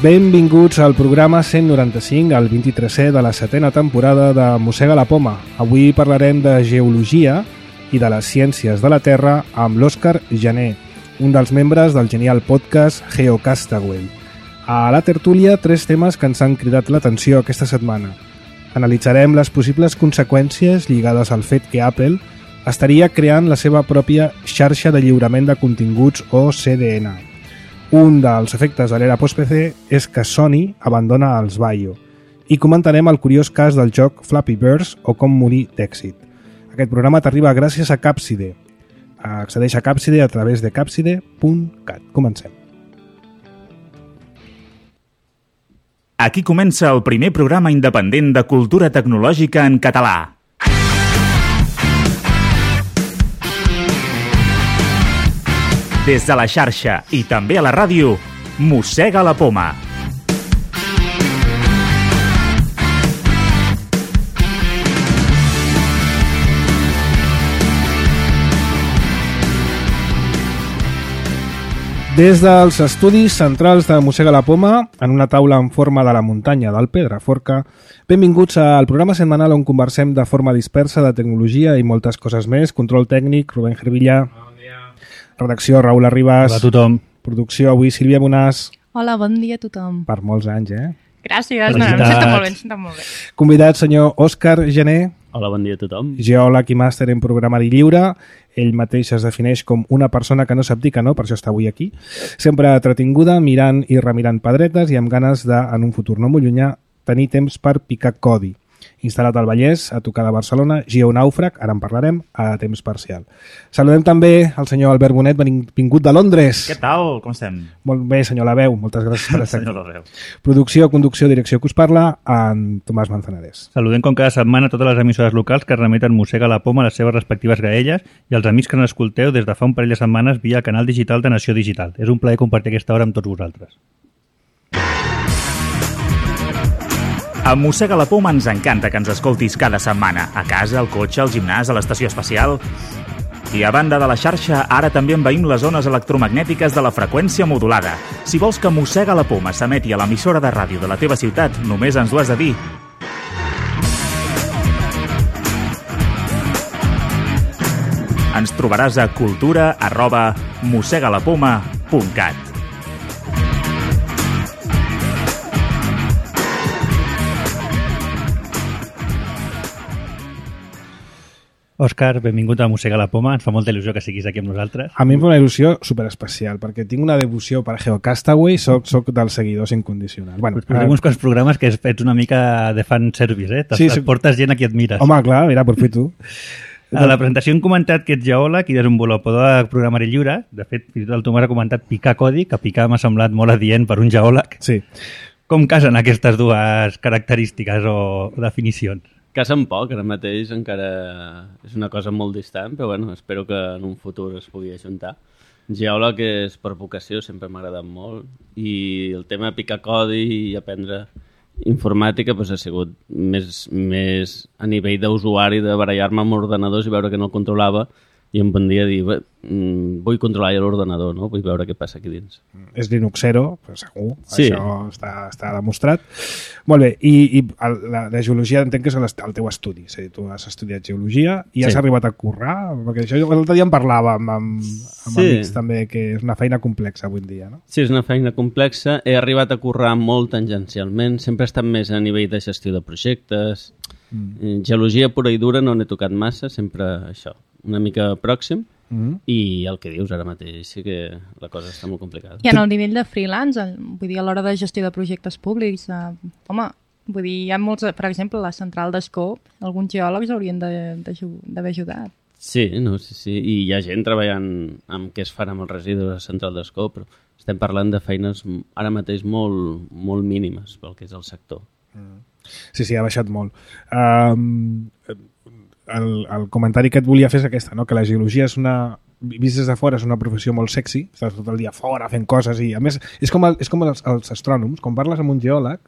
Benvinguts al programa 195, el 23è de la 7a temporada de Mossega la Poma. Avui parlarem de geologia i de les ciències de la Terra amb l'Òscar Gené, un dels membres del genial podcast GeoCastaway. A la tertúlia, 3 temes que ens han cridat l'atenció aquesta setmana. Analitzarem les possibles conseqüències lligades al fet que Apple estaria creant la seva pròpia xarxa de lliurament de continguts o CDN. Un dels efectes de l'era post-PC és que Sony abandona els Bayo. I comentarem el curiós cas del joc Flappy Birds o com morir d'èxit. Aquest programa t'arriba gràcies a Capside. Accedeix a Capside a través de capside.cat. Comencem. Aquí comença el primer programa independent de cultura tecnològica en català. Des de la xarxa i també a la ràdio, Mossega la Poma. Des dels estudis centrals de Mossega la Poma, en una taula en forma de la muntanya del Pedraforca, benvinguts al programa setmanal on conversem de forma dispersa de tecnologia i moltes coses més. Control tècnic, Rubén Gervilla. Redacció, Raül Arribas. Hola a tothom. Producció, avui Sílvia Bonàs. Hola, bon dia a tothom. Per molts anys, Gràcies, no, em sento molt bé, Convidat, senyor Òscar Gené. Hola, bon dia a tothom. Geòleg i màster en programari lliure. Ell mateix es defineix com una persona que no sap dir que no, per això està avui aquí. Sempre entretinguda, mirant i remirant pedretes i amb ganes de, en un futur no molt llunyà, tenir temps per picar codi. Instal·lat al Vallès, a tocar de Barcelona, geonàufrag, ara en parlarem, a temps parcial. Saludem també al senyor Albert Bonet, vingut de Londres. Què tal? Com estem? Molt bé, senyor Labeu, moltes gràcies per estar Senyor aquí. Labeu. Producció, conducció, direcció que us parla, en Tomàs Manzanares. Saludem com cada setmana totes les emissores locals que remeten Mossega la Poma a les seves respectives graelles i els amics que ens escolteu des de fa un parell de setmanes via el canal digital de Nació Digital. És un plaer compartir aquesta hora amb tots vosaltres. A Mossega la Poma ens encanta que ens escoltis cada setmana, a casa, al cotxe, al gimnàs, a l'estació espacial. I a banda de la xarxa, ara també envaïm les zones electromagnètiques de la freqüència modulada. Si vols que Mossega la Poma s'emeti a l'emissora de ràdio de la teva ciutat, només ens ho has de dir. Ens trobaràs a cultura@mossegalapoma.cat. Òscar, benvingut a Mossega la Poma. Ens fa molta il·lusió que siguis aquí amb nosaltres. A mi em fa una il·lusió superespecial, perquè tinc una devoció per GeoCastaway, soc dels seguidors incondicionals. Bueno, Portem uns quants programes que ets una mica de fan service, Sí, et portes gent a qui admires. Home, clar, mira, aprofito. A la presentació hem comentat que ets geòleg i desenvolupador de programari lliure. De fet, fins i tot el Tomàs ha comentat picar codi, que picar m'ha semblat molt adient per un geòleg. Sí. Com casen aquestes dues característiques o definicions? Casen poc, ara mateix encara és una cosa molt distant, però bueno, espero que en un futur es pugui ajuntar. Geòleg és per vocació, sempre m'ha agradat molt, i el tema de picar codi i aprendre informàtica doncs, ha sigut més a nivell d'usuari, de barallar-me amb ordenadors i veure que no el controlava, i un bon dia dir, vull controlar ja l'ordenador, no? Vull veure què passa aquí dins. És Linuxero, però segur, sí. Això està demostrat. Molt bé, i la geologia entenc que és el teu estudi, és a dir, tu has estudiat geologia i has arribat a currar, perquè això l'altre dia en parlàvem amb amics també, que és una feina complexa avui en dia, no? Sí, és una feina complexa, he arribat a currar molt tangencialment, sempre he estat més a nivell de gestió de projectes, geologia pura i dura no n'he tocat massa, sempre això, una mica pròxim, i el que dius ara mateix sí que la cosa està molt complicada. I en el nivell de freelance, vull dir, a l'hora de gestió de projectes públics, home, vull dir, hi ha molts, per exemple, la central d'Escó, alguns geòlegs haurien d'haver ajudat. Sí, i hi ha gent treballant amb què es farà amb els residus a la central d'Escó, però estem parlant de feines ara mateix molt, molt mínimes pel que és el sector. Sí, ha baixat molt. El comentari que et volia fer és aquesta, no? Que la geologia és una vist des de fora és una professió molt sexy, estàs tot el dia fora fent coses i a més és com els astrònoms, quan parles amb un geòleg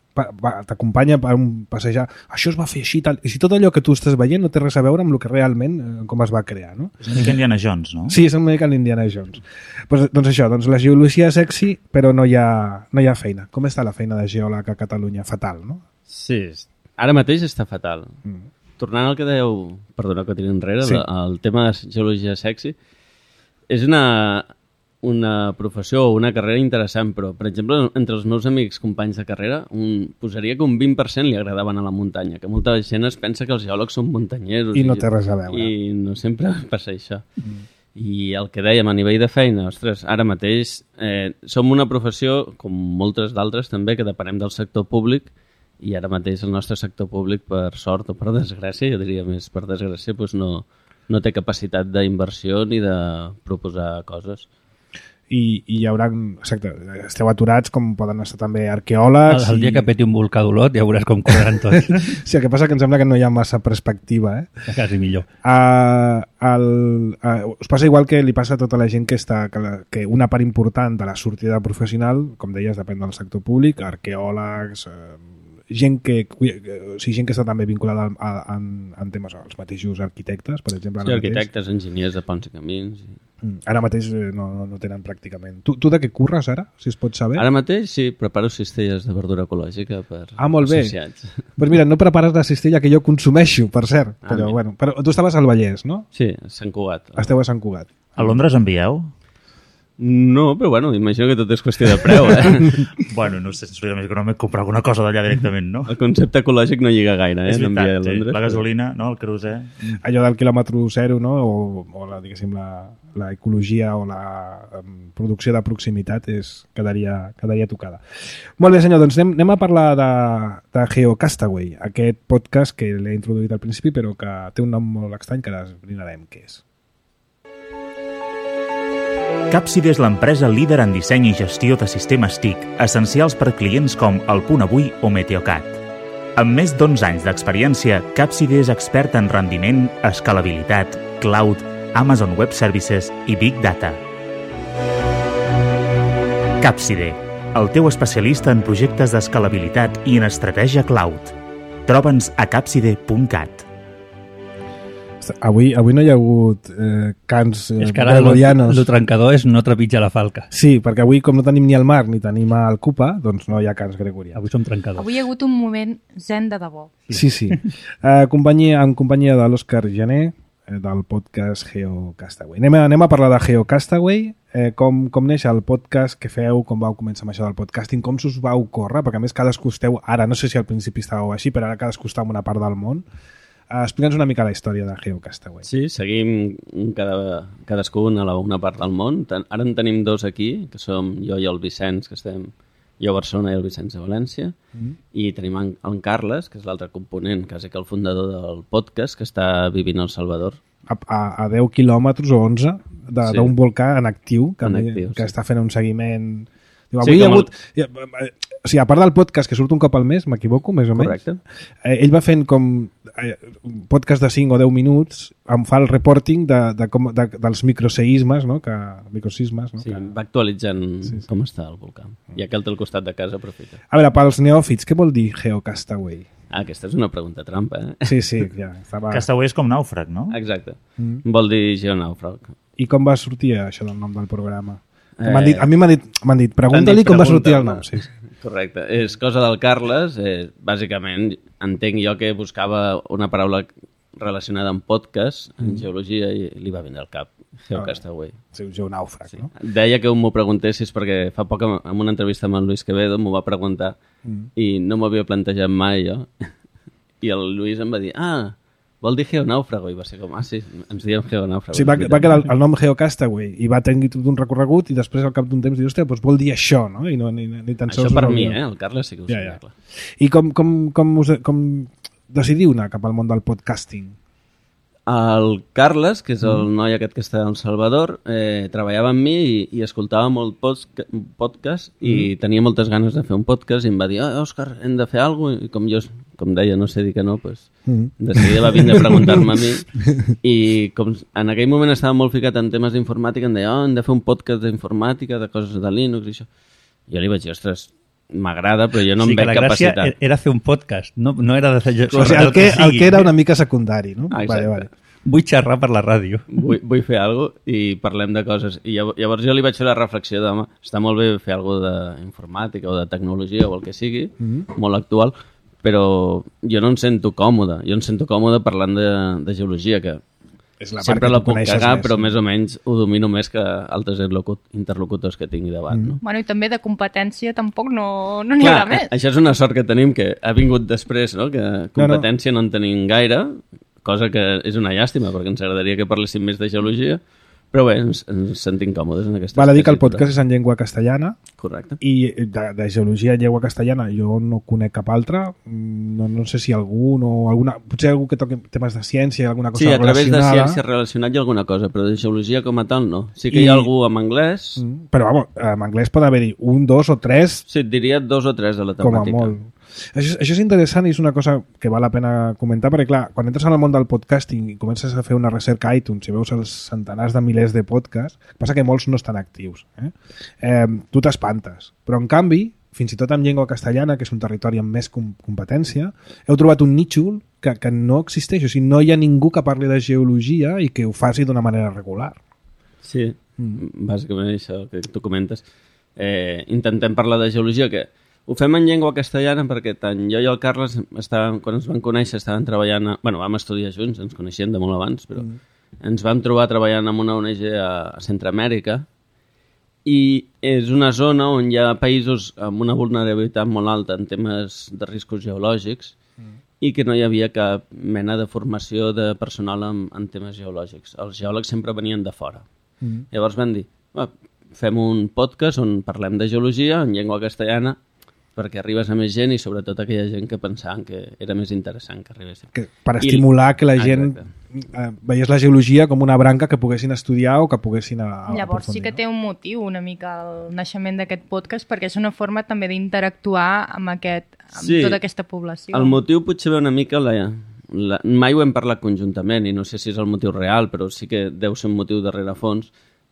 t'acompanya per un passejar, això es va fer així tal, i si tot allò que tu estàs veient no té res a veure amb el que realment com es va crear, no? És una mica Indiana Jones, no? Sí, és una mica l'Indiana Jones. Doncs això, doncs la geologia és sexy però no hi ha feina. Com està la feina de geòleg a Catalunya? Fatal, no? Sí, ara mateix està fatal. Tornant al que dèieu, perdona que tiri enrere, sí. El tema de geologia sexy, és una professió o una carrera interessant, però, per exemple, entre els meus amics companys de carrera, posaria que un 20% li agradaven a la muntanya, que molta gent es pensa que els geòlegs són muntanyeros. I no té res a veure. I no sempre passa això. I el que dèiem a nivell de feina, ostres, ara mateix som una professió, com moltes d'altres també, que depenem del sector públic, i ara mateix el nostre sector públic, per sort o per desgràcia, jo diria més per desgràcia, doncs no té capacitat d'inversió ni de proposar coses. I hi haurà, exacte, esteu aturats com poden estar també arqueòlegs. El dia que peti un volcà d'Olot ja veuràs com correran tots. Sí, el que passa que em sembla que no hi ha massa perspectiva. Quasi millor. Us passa igual que li passa a tota la gent que una part important de la sortida professional, com deies, depèn del sector públic, arqueòlegs, gent que està també vinculada en temes, els mateixos arquitectes, per exemple. Sí, arquitectes, enginyers de ponts i camins. Ara mateix no tenen pràcticament. Tu de què curres ara, si es pot saber? Ara mateix sí, preparo cistelles de verdura ecològica per molt bé. associats. Pues mira, no prepares la cistella que jo consumeixo, per cert. Però tu estaves al Vallès, no? Sí, a Sant Cugat. Esteu a Sant Cugat. A Londres envieu? No, però bueno, imagino que tot és qüestió de preu, Bueno, no sé, més que no m'he comprat alguna cosa d'allà directament, no? El concepte ecològic no lliga gaire, És veritat, a Londres. La gasolina, no? El querosè. Allò del quilòmetre zero, no? O diguéssim, la ecologia o la producció de proximitat quedaria tocada. Molt bé, senyor, doncs anem a parlar de GeoCastaway, aquest podcast que l'he introduït al principi però que té un nom molt estrany que ara esbrinarem què és. Capside és l'empresa líder en disseny i gestió de sistemes TIC, essencials per clients com El Punt Avui o Meteocat. Amb més d'11 anys d'experiència, Capside és expert en rendiment, escalabilitat, cloud, Amazon Web Services i Big Data. Capside, el teu especialista en projectes d'escalabilitat i en estratègia cloud. Troba'ns a capside.cat. Avui no hi ha hagut cants és que ara el trencador és no trepitja la falca. Sí, perquè avui com no tenim ni el mar ni tenim el Cupa, doncs no hi ha cants gregorians. Avui som trencadors. Avui hi ha hagut un moment zen de debò. Sí. En companyia de l'Òscar Jané, del podcast GeoCastaway. Anem a parlar de GeoCastaway, com neix el podcast que feu, com vau començar amb això del podcasting, com s'us va ocórrer, perquè a més cadascú esteu, ara no sé si al principi estàveu així, però ara cadascú està en una part del món. Explica'ns una mica la història de GeoCastaway. Sí, seguim cadascú a una part del món. Ara en tenim dos aquí, que som jo i el Vicenç, que estem jo a Barcelona i el Vicenç a València, i tenim en Carles, que és l'altre component, quasi que el fundador del podcast, que està vivint al Salvador. A 10 quilòmetres o 11 d'un volcà en actiu, que està fent un seguiment... Avui hi ha hagut... O sigui, a part del podcast que surt un cop al mes, m'equivoco, més o menys. Correcte. Ell va fent com un podcast de 5 o 10 minuts, em fa el reporting dels microseismes, no? Microsismes, no? Sí, va actualitzant com està el volcà. I aquell té al costat de casa, aprofita. A veure, pels neòfits, què vol dir GeoCastaway? Aquesta és una pregunta trampa, Sí, ja. Castaway és com nàufrag, no? Exacte. Vol dir geonàufrag. I com va sortir això del nom del programa? A mi m'han dit, pregunta-li com va sortir el nom. Sí. Correcte. És cosa del Carles. Bàsicament, entenc jo que buscava una paraula relacionada amb podcast, en geologia, i li va vindre al cap. GeoCastaway. Sí, un geonàufrag, no? Deia que m'ho preguntessis perquè fa poc en una entrevista amb el Luis Quevedo m'ho va preguntar i no m'havia plantejat mai jo. I el Luis em va dir, vol dir geonàufrago, i va ser com, sí, ens diem geonàufrago. Sí, va quedar el nom GeoCastaway i va tenir tot un recorregut i després al cap d'un temps diu, hòstia, doncs vol dir això, no? I no, ni tan sols... Això per mi, el Carles sí que ho sabia, clar. I com decidiu anar cap al món del podcasting? El Carles, que és el noi aquest que està al Salvador, treballava amb mi i escoltava molt podcast i tenia moltes ganes de fer un podcast i em va dir, Òscar, hem de fer alguna cosa, i com jo com deia, no sé dir que no, doncs de seguida va vindre a preguntar-me a mi i com en aquell moment estava molt ficat en temes d'informàtica, em deia, hem de fer un podcast d'informàtica, de coses de Linux i això. Jo li vaig dir, ostres, m'agrada, però jo no em veig capacitat. La gràcia era fer un podcast, no era de fer... O sigui, el que era una mica secundari, no? Exacte. Vale. Vull xerrar per la ràdio. Vull fer alguna cosa i parlem de coses. I llavors jo li vaig fer la reflexió de, home, està molt bé fer alguna cosa d'informàtica o de tecnologia o el que sigui, molt actual, però jo no em sento còmode. Jo em sento còmode parlant de geologia, que sempre la puc cagar, però més o menys ho domino més que altres interlocutors que tingui davant. No? Bueno, i també de competència tampoc no n'hi haurà més. Això és una sort que tenim, que ha vingut després, no? Que competència no en tenim gaire, cosa que és una llàstima, perquè ens agradaria que parléssim més de geologia, però bé, ens sentim còmodes en aquesta Val a dir que el podcast és en llengua castellana. Correcte. I de geologia en llengua castellana jo no conec cap altra. No sé si algun o alguna... Potser algú que toqui temes de ciència, alguna cosa relacionada. Sí, a través de ciència relacionat hi ha alguna cosa, però de geologia com a tal no. Sí que hi ha algú amb anglès. Però, vamos, en anglès pot haver-hi 1, 2 o 3... Sí, et diria 2 o 3 de la temàtica. Com a molt. Això és interessant i és una cosa que val la pena comentar, perquè clar, quan entres en el món del podcasting i comences a fer una recerca a iTunes i veus els centenars de milers de podcasts, passa que molts no estan actius. Tu t'espantes. Però en canvi, fins i tot en llengua castellana, que és un territori amb més competència, heu trobat un nítxol que no existeix. O sigui, no hi ha ningú que parli de geologia i que ho faci d'una manera regular. Sí, bàsicament això que tu comentes. Intentem parlar de geologia, que ho fem en llengua castellana perquè tant jo i el Carles, quan ens vam conèixer, estàvem treballant... vam estudiar junts, ens coneixíem de molt abans, però ens vam trobar treballant en una ONG a Centroamèrica i és una zona on hi ha països amb una vulnerabilitat molt alta en temes de riscos geològics i que no hi havia cap mena de formació de personal en temes geològics. Els geòlegs sempre venien de fora. Llavors vam dir, fem un podcast on parlem de geologia en llengua castellana perquè arribes a més gent i sobretot aquella gent que pensaven que era més interessant que arribés. Per estimular que la gent veiés la geologia com una branca que poguessin estudiar o que poguessin Llavors sí que té un motiu una mica el naixement d'aquest podcast, perquè és una forma també d'interactuar amb tota aquesta població. El motiu potser ve una mica... Mai ho hem parlat conjuntament i no sé si és el motiu real, però sí que deu ser un motiu de rerefons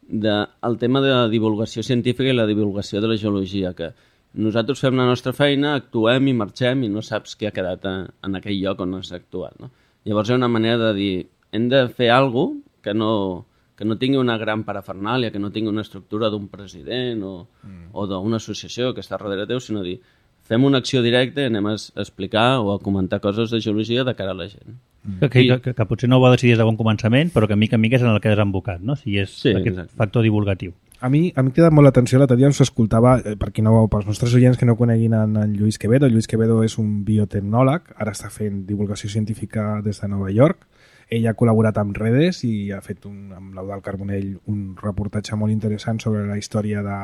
el tema de la divulgació científica i la divulgació de la geologia, que nosaltres fem la nostra feina, actuem i marxem i no saps què ha quedat en aquell lloc on has actuat. No? Llavors hi ha una manera de dir, hem de fer alguna cosa que no tingui una gran parafernàlia, que no tingui una estructura d'un president o d'una associació que està darrere teu, sinó dir, fem una acció directa i anem a explicar o a comentar coses de geologia de cara a la gent. Que potser no ho va decidir des de bon començament, però que mica en mica és en el que has embocat, no? Si és aquest factor divulgatiu. A mi m'ha cridat molt l'atenció, l'altre dia ens escoltava, pels nostres oients que no coneguin en Lluís Quevedo. Lluís Quevedo és un biotecnòleg, ara està fent divulgació científica des de Nova York. Ell ha col·laborat amb Redes i ha fet amb l'Eudald Carbonell un reportatge molt interessant sobre la història de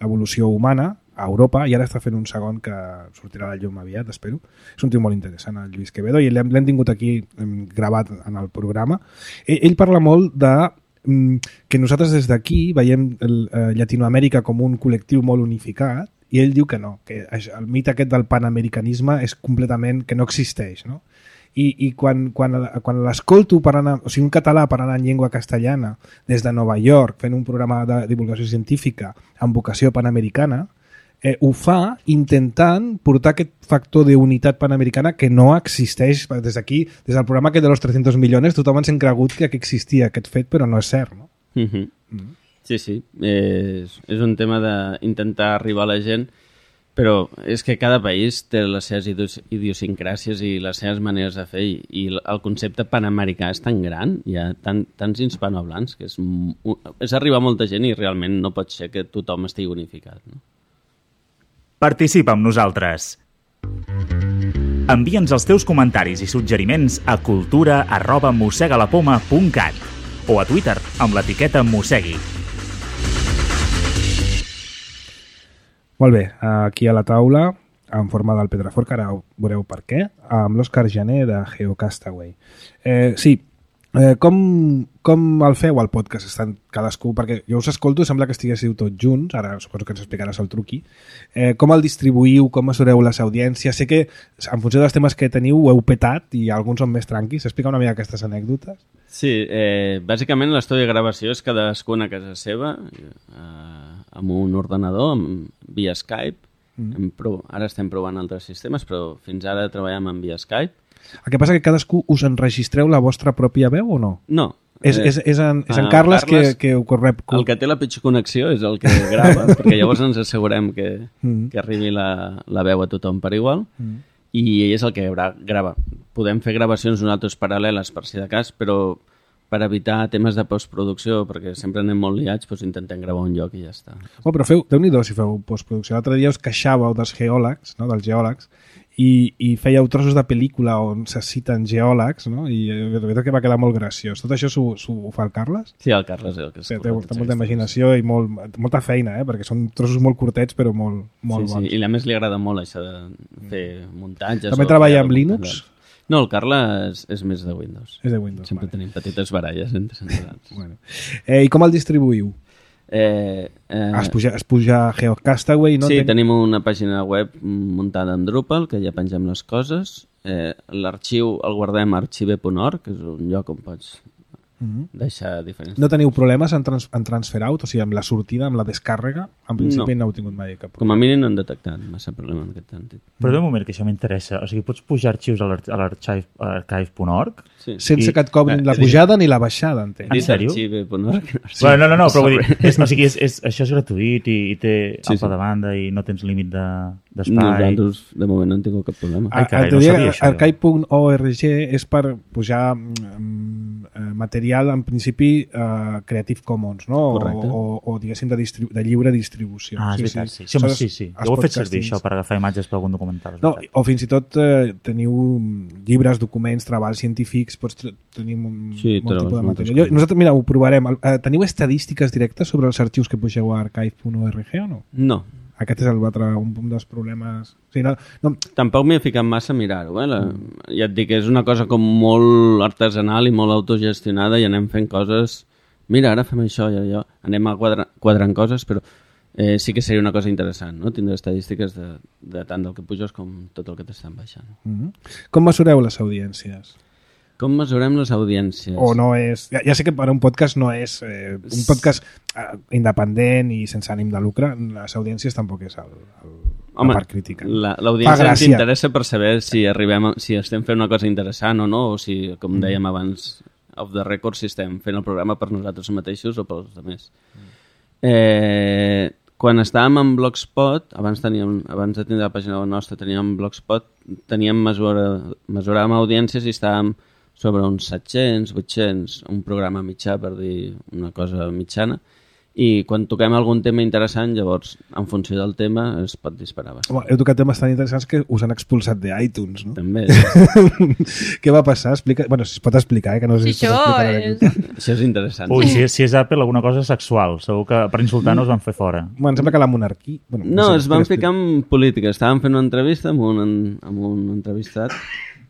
l'evolució humana a Europa, i ara està fent un segon que sortirà a la llum aviat, espero. És un tio molt interessant, el Lluís Quevedo, i l'hem tingut aquí gravat en el programa. Ell parla molt de que nosaltres des d'aquí veiem Llatinoamèrica com un col·lectiu molt unificat, i ell diu que no, que el mite aquest del panamericanisme és completament que no existeix, no? I quan l'escolto parlant, o sigui, un català parlant en llengua castellana des de Nova York, fent un programa de divulgació científica amb vocació panamericana, ho fa intentant portar aquest factor d'unitat panamericana que no existeix des d'aquí, des del programa aquest de los 300 milions, tothom ens hem cregut que existia aquest fet, però no és cert, no? Sí, és un tema d'intentar arribar a la gent, però és que cada país té les seves idiosincràcies i les seves maneres de fer, i el concepte panamericà és tan gran, hi ha tants hispanohablants, que és arribar a molta gent i realment no pot ser que tothom estigui unificat, no? Participa amb nosaltres. Envia'ns els teus comentaris i suggeriments a cultura@mossegalapoma.cat o a Twitter amb l'etiqueta Mossegui. Molt bé, aquí a la taula, en forma del Pedraforca, ara veureu per què, amb l'Òscar Jané de GeoCastaway. Sí, Com el feu, el podcast? Estan cadascú, perquè jo us escolto i sembla que estiguéssiu tots junts, ara suposo que ens explicaràs el truqui. Com el distribuïu, com mesureu les audiències? Sé que en funció dels temes que teniu ho heu petat i alguns són més tranquils. Explica una mica aquestes anècdotes. Sí, bàsicament l'estudi de gravació és cadascuna a casa seva, amb un ordenador, via Skype. Ara estem provant altres sistemes, però fins ara treballem en via Skype. El que passa que cadascú us enregistreu la vostra pròpia veu o no? No. És en Carles que ho rep. El que té la pitjor connexió és el que grava, perquè llavors ens assegurem que arribi la veu a tothom per igual, i ell és el que grava. Podem fer gravacions nosaltres paral·leles per si de cas, però per evitar temes de postproducció, perquè sempre anem molt liats, doncs intentem gravar un lloc i ja està. Però Déu-n'hi-do si feu postproducció. L'altre dia us queixàveu dels geòlegs, no? Dels geòlegs, i fèieu trossos de pel·lícula on se citen geòlegs, no? I de veritat que va quedar molt graciós. Tot això s'ho fa el Carles? Sí, el Carles és el que es té molta imaginació i molta feina, perquè són trossos molt curtets però molt bons. Sí, i a més li agrada molt això de fer muntatges. També treballa amb Linux? No, el Carles és més de Windows. És de Windows, sempre tenim petites baralles entre centrals. Bueno. I com el distribuïu? Es puja a Geocastaway, no? Sí, tenim una pàgina web muntada en Drupal, que ja pengem les coses. L'arxiu el guardem a archive.org, que és un lloc on pots deixar diferents... No teniu problemes en transfer out? O sigui, amb la sortida, amb la descàrrega? En principi no heu tingut mai cap problema. Com a mínim no hem detectat massa problema en aquest sentit. Però d'un moment, que això m'interessa. O sigui, pots pujar arxius a l'archive.org? Sí. Sense que et cobrin la pujada ni la baixada, entenc. En sèrio? Archive.org. Bueno, no, però vull dir, això és gratuït i té alta de banda i no tens límit d'espai. Nosaltres, de moment, no hem tingut cap problema. Archive.org és per pujar material, en principi, Creative Commons, no? O diguéssim, de lliure distribució. Ah, és veritat, sí. Jo ho he fet servir, això, per agafar imatges per algun documental. No, o fins i tot teniu llibres, documents, treballs científics, pots tenir molt tipus de material. Nosaltres, mira, ho provarem. Teniu estadístiques directes sobre els arxius que pugeu a archive.org o no? No. Aquest és un dels problemes... O sigui, no. Tampoc m'he ficat massa a mirar-ho. Ja et dic, és una cosa com molt artesanal i molt autogestionada i anem fent coses... Mira, ara fem això i allò. Anem a quadrant coses, però sí que seria una cosa interessant, no? Tindre estadístiques de tant del que puges com tot el que t'estan baixant. Com mesureu les audiències? Com mesurem les audiències? O no és... Ja sé que per un podcast no és un podcast independent i sense ànim de lucre, les audiències tampoc és la part crítica. L'audiència ens interessa per saber si estem fent una cosa interessant o no, o si, com dèiem abans, off the record, si estem fent el programa per nosaltres mateixos o pels altres. Quan estàvem en Blogspot, abans de tenir la pàgina nostra, teníem Blogspot, mesuràvem audiències i estàvem sobre uns 700, 800, un programa mitjà, per dir una cosa mitjana, i quan toquem algun tema interessant, llavors, en funció del tema, es pot disparar bastant. Heu tocat temes tan interessants que us han expulsat d'iTunes, no? També. Què va passar? Bueno, si es pot explicar, que no sé si es pot explicar. Això és interessant. Ui, si és Apple, alguna cosa sexual. Segur que per insultar-nos van fer fora. Bueno, em sembla que la monarquia... No, es van ficar en política. Estàvem fent una entrevista amb un entrevistat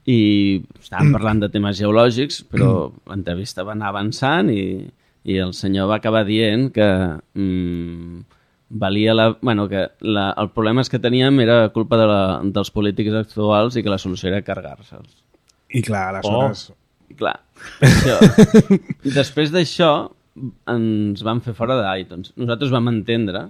i estàvem parlant de temes geològics, però l'entrevista va anar avançant i el senyor va acabar dient que valia que el problema és que teníem era culpa dels polítics actuals i que la solució era carregar-se'ls. I clar, aleshores... Clar, això. I després d'això ens van fer fora d'iTunes. Nosaltres vam entendre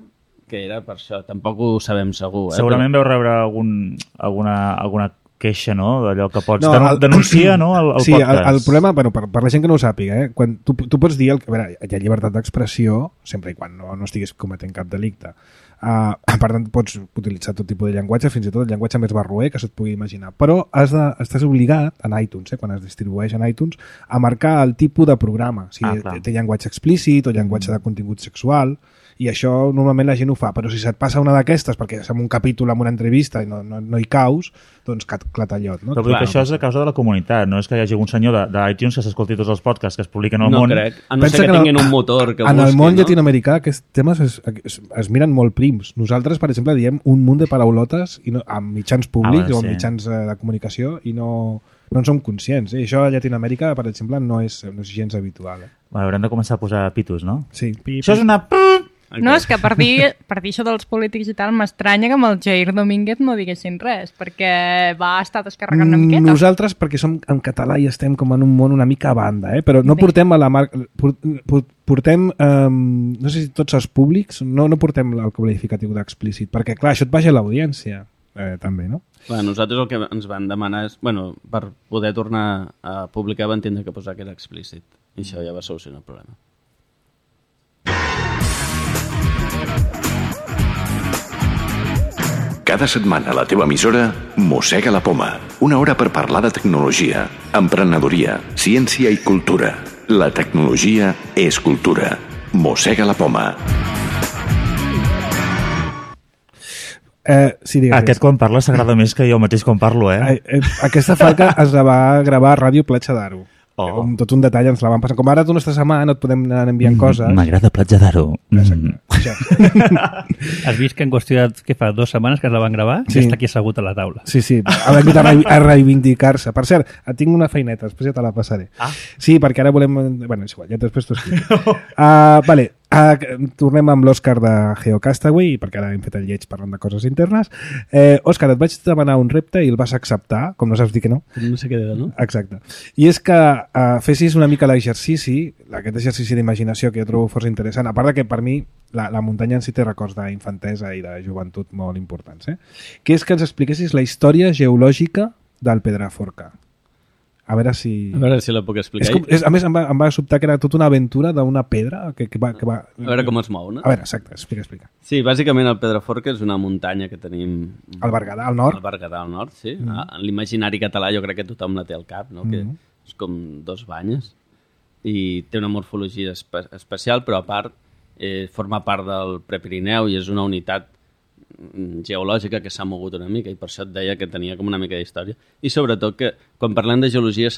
que era per això. Tampoc ho sabem segur. Segurament vau rebre alguna queixa, no? D'allò que pots denunciar, no? El sí, podcast. El problema, bueno, per la gent que no ho sàpiga, quan tu pots dir... A veure, hi ha llibertat d'expressió, sempre i quan no estiguis cometent cap delicte. Per tant, pots utilitzar tot tipus de llenguatge, fins i tot el llenguatge més barroer que se't pugui imaginar. Però estàs obligat, en iTunes, quan es distribueix en iTunes, a marcar el tipus de programa. O sigui, té llenguatge explícit o llenguatge de contingut sexual, i això normalment la gent ho fa, però si se't passa una d'aquestes perquè és en un capítol, en una entrevista i no hi caus, doncs clatallot, no? Però vull dir que això és a causa de la comunitat, no és que hi hagi un senyor d'iTunes que s'escolti tots els podcasts que es publiquen al món. No crec, a no ser que tinguin un motor que busqui. En el món llatinoamericà aquests temes es miren molt prims. Nosaltres, per exemple, diem un munt de paraulotes amb mitjans públics o amb mitjans de comunicació i no no en som conscients. Això a Llatinoamèrica, per exemple, no és gens habitual. Bueno, haurem de començar a posar pitos, no? Sí. Això és una... No, és que per dir això dels polítics i tal, m'estranya que amb el Jair Domínguez no diguessin res, perquè va estar descarregant una miqueta. Nosaltres, perquè som en català i estem com en un món una mica a banda, però no portem a la marca... Portem, no sé si tots els públics, no portem el qualificatiu d'explícit, perquè clar, això et baixa l'audiència, també, no? Bueno, nosaltres el que ens van demanar és, per poder tornar a publicar van tindre que posar que era explícit, i això ja va solucionar el problema. Cada setmana a la teva emissora Mossega la Poma. Una hora per parlar de tecnologia, emprenedoria, ciència i cultura. La tecnologia és cultura. Mossega la Poma. Sí, digues. Aquest quan parla s'agrada més que jo mateix quan parlo, Aquesta falca es la va gravar a Ràdio Platja d'Aro. Oh. Tot un detall ens la van passar. Com ara tu no estàs a mà, no et podem anar enviant coses. M'agrada Platja d'Aro. Exacte. Has vist que en qüestió de, què fa, 2 setmanes que es la van gravar? Sí. Ja està aquí assegut a la taula. Sí, ha vingut a reivindicar-se. Per cert, tinc una feineta, després ja te la passaré. Sí, perquè ara volem... Bueno, és igual, ja després t'ho explico. Vale, tornem amb l'Òscar de GeoCastaway, perquè ara hem fet el lleig parlant de coses internes. Òscar, et vaig demanar un repte i el vas acceptar, com no saps dir que no. No sé què dir, no? Exacte. I és que fessis una mica l'exercici, aquest exercici d'imaginació que jo trobo força interessant, a part de que per mi la muntanya en si té records d'infantesa i de joventut molt importants, que és que ens expliquessis la història geològica del Pedraforca. A veure si la puc explicar. A més, em va sobtar que era tota una aventura d'una pedra que va... A veure com es mou, no? A veure, exacte, explica. Sí, bàsicament el Pedraforca és una muntanya que tenim... Al Berguedà, al nord. Al Berguedà, al nord, sí. En l'imaginari català jo crec que tothom la té al cap, no? Que és com 2 banyes. I té una morfologia especial, però a part forma part del Prepirineu i és una unitat geològica que s'ha mogut una mica i per això et deia que tenia com una mica d'història. I sobretot que quan parlem de geologia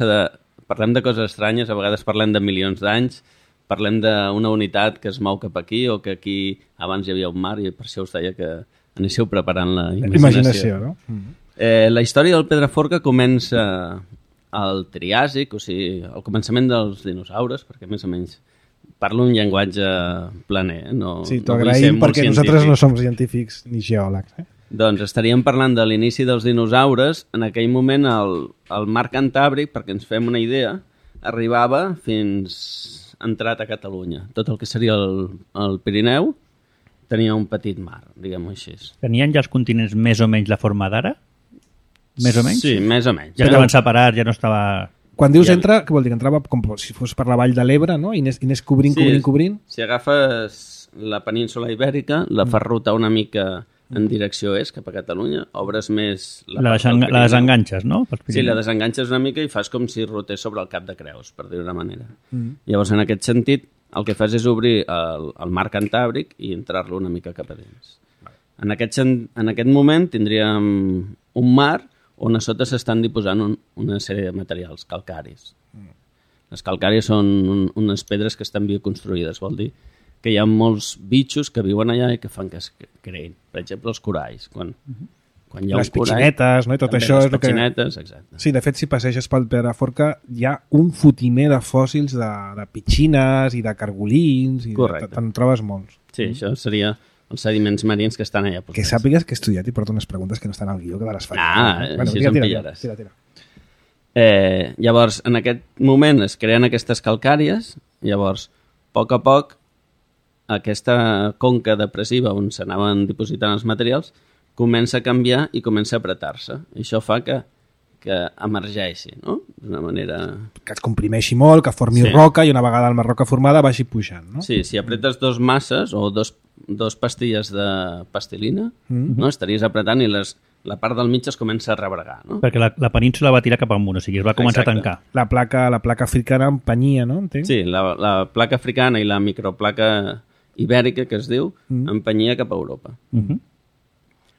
parlem de coses estranyes, a vegades parlem de milions d'anys, parlem d'una unitat que es mou cap aquí o que aquí abans hi havia un mar i per això us deia que anéssiu preparant la imaginació. No? La història del Pedraforca comença al Triàsic, o sigui, al començament dels dinosaures, perquè més o menys parlo un llenguatge planer. Sí, t'ho agraïm perquè nosaltres no som científics ni geòlegs. Doncs estaríem parlant de l'inici dels dinosaures. En aquell moment el mar Cantàbric, perquè ens fem una idea, arribava fins entrat a Catalunya. Tot el que seria el Pirineu tenia un petit mar, diguem-ho així. Tenien ja els continents més o menys la forma d'ara? Més o menys? Sí, més o menys. Ja estaven separats, ja no estava... Quan dius entra, què vol dir? Que entrava com si fos per la vall de l'Ebre, no? I anés cobrint. Si agafes la península ibèrica, la fas rotar una mica en direcció est, cap a Catalunya, obres més... La desenganxes, no? Sí, la desenganxes una mica i fas com si rotés sobre el cap de Creus, per dir-ho d'una manera. Llavors, en aquest sentit, el que fas és obrir el mar Cantàbric i entrar-lo una mica cap a dins. En aquest moment tindríem un mar on a sota s'estan diposant una sèrie de materials calcaris. Les calcàries són unes pedres que estan bioconstruïdes, vol dir que hi ha molts bitxos que viuen allà i que fan que es creïn. Per exemple, els coralls. Quan hi ha les pitxinetes, no? I tot això les pitxinetes, exacte. Sí, de fet, si passeges pel Pedraforca hi ha un fotimer de fòssils de pitxines i de cargolins. Correcte. Te'n trobes molts. Sí, això seria els sediments marins que estan allà. Que sàpigues que he estudiat i porto unes preguntes que no estan al guió, que de les faig. Així em pillaràs. Tira. Llavors, en aquest moment es creen aquestes calcàries, llavors, a poc, aquesta conca depressiva on s'anaven dipositant els materials comença a canviar i comença a apretar-se. I això fa que emergeixi, no? D'una manera... Que es comprimeixi molt, que formi roca i una vegada la roca formada vagi pujant, no? Sí, si apretes 2 masses o dos pastilles de pastilina, no? Estaries apretant i la part del mig es comença a rebregar, no? Perquè la península va tirar cap amunt, o sigui, es va començar a tancar. La placa africana empenyia, no? Entenc? Sí, la placa africana i la microplaca ibèrica, que es diu, empenyia cap a Europa.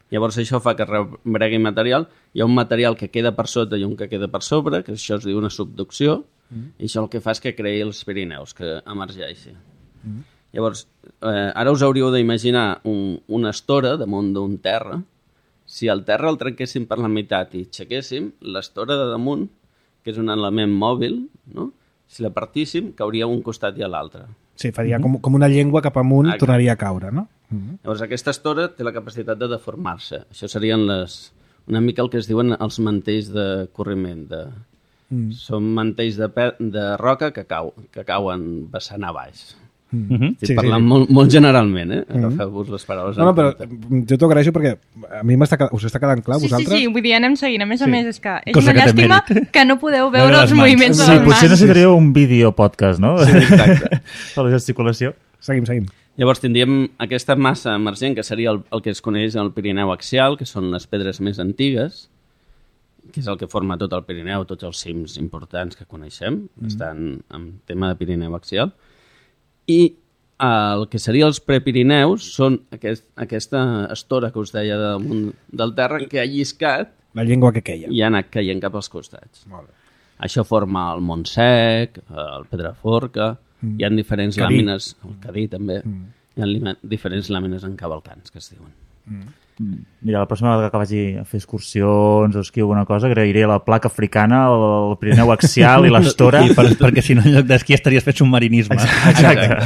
Llavors això fa que rebregui material. Hi ha un material que queda per sota i un que queda per sobre, que això es diu una subducció, i això el que fa és que creï els Pirineus, que emergeixi. Llavors, ara us hauríeu d'imaginar una estora damunt d'un terra. Si el terra el trenquéssim per la meitat i aixequéssim, l'estora de damunt que és un element mòbil, no? Si la partíssim, cauria un costat i a l'altre. Sí, faria com una llengua cap amunt, tornaria a caure, no? Llavors, aquesta estora té la capacitat de deformar-se. Això serien una mica el que es diuen els mantells de corriment. Són mantells de roca que cauen vessant a baix. Estic parlant molt generalment, agafeu-vos les paraules. No, però jo t'ho agraeixo perquè a mi us està quedant clar, vosaltres? Sí, vull dir, anem seguint. A més, és que és una llàstima que no podeu veure els moviments de les mans. Sí, potser necessitaríeu un vídeo podcast, no? Sí, exacte. Per la gesticulació. Seguim. Llavors tindríem aquesta massa emergent, que seria el que es coneix el Pirineu axial, que són les pedres més antigues, que és el que forma tot el Pirineu, tots els cims importants que coneixem, estan en tema de Pirineu axial. I el que seria els prepirineus són aquesta estora que us deia damunt del terra que ha lliscat la llengua que queia. I ha anat caient cap als costats. Molt bé. Això forma el Montsec, el Pedraforca, hi ha diferents làmines, el Cadí també, hi ha diferents làmines encavalcants que es diuen. Mira, la pròxima vegada que vagi a fer excursions o esquí o alguna cosa, agrairé la placa africana, el Pirineu axial i l'estora. Perquè si no, en lloc d'esquí estaries fet submarinisme. Exacte.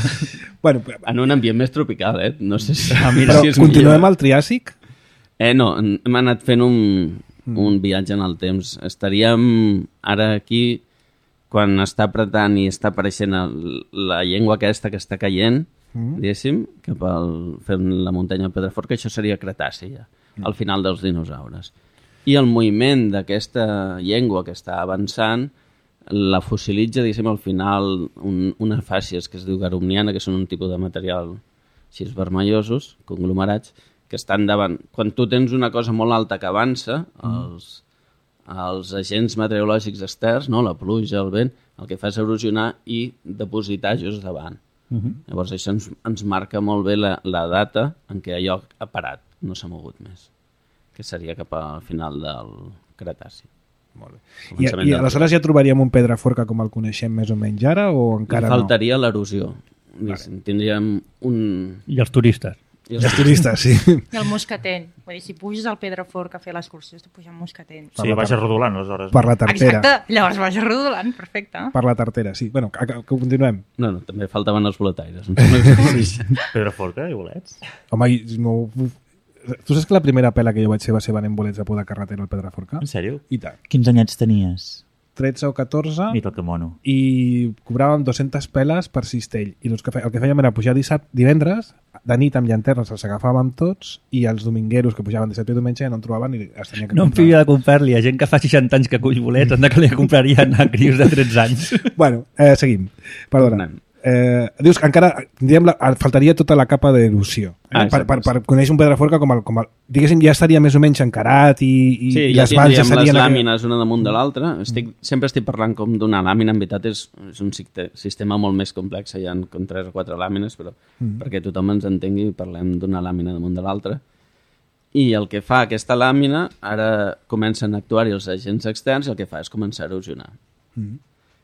Bueno, en un ambient més tropical, No sé si... Però continuem al Triàsic? No, hem anat fent un viatge en el temps. Estaríem ara aquí, quan està apretant i està apareixent la llengua aquesta que està caient, diguéssim, fent la muntanya de Pedraforca, això seria Cretaci ja, al final dels dinosaures. I el moviment d'aquesta llengua que està avançant la fossilitza, diguéssim, al final unes fàcies que es diu garumniana, que són un tipus de material així vermellosos, conglomerats, que estan davant. Quan tu tens una cosa molt alta que avança, els agents meteorològics externs, no? La pluja, el vent, el que fa és erosionar i depositar just davant. Llavors això ens marca molt bé la data en què allò ha parat, no s'ha mogut més, que seria cap al final del Cretaci. Molt bé. I aleshores ja trobaríem un Pedraforca com el coneixem més o menys ara o encara no? Faltaria l'erosió. Tindríem un... I els turistes. I els turistes, sí. I el moscatell. Vull dir, si puges al Pedraforca a fer l'excursió, has de pujar al moscatell. Sí, baixes rodolant, aleshores. Per la tartera. Exacte, llavors baixes rodolant, perfecte. Per la tartera, sí. Bueno, que continuem. No, també faltaven els boletaires. Pedraforca i bolets. Home, no... Tu saps que la primera pela que jo vaig fer va ser venent bolets a por de carretera al Pedraforca? En sèrio? I tant. Quins anyets tenies? 13 o 14. Mira que mono. I cobràvem 200 peles per cistell. I el que fèiem era pujar divendres, de nit amb llanternes els agafàvem tots i els domingueros que pujaven dissabte i diumenge ja no en trobaven i es tenia que no em fia de comprar-li a gent que fa 60 anys que cull bolets, anda que li comprarien a crios de 13 anys. Bueno, seguim. Perdona. Dius que encara faltaria tota la capa d'erosió per conèixer un Pedraforca com el diguéssim, ja estaria més o menys encarat i les valls ja serien les làmines una damunt de l'altra. Sempre estic parlant com d'una làmina, en veritat és un sistema molt més complex, hi ha com 3 o 4 làmines, però perquè tothom ens entengui parlem d'una làmina damunt de l'altra. I el que fa aquesta làmina, ara comencen a actuar-hi els agents externs i el que fa és començar a erosionar.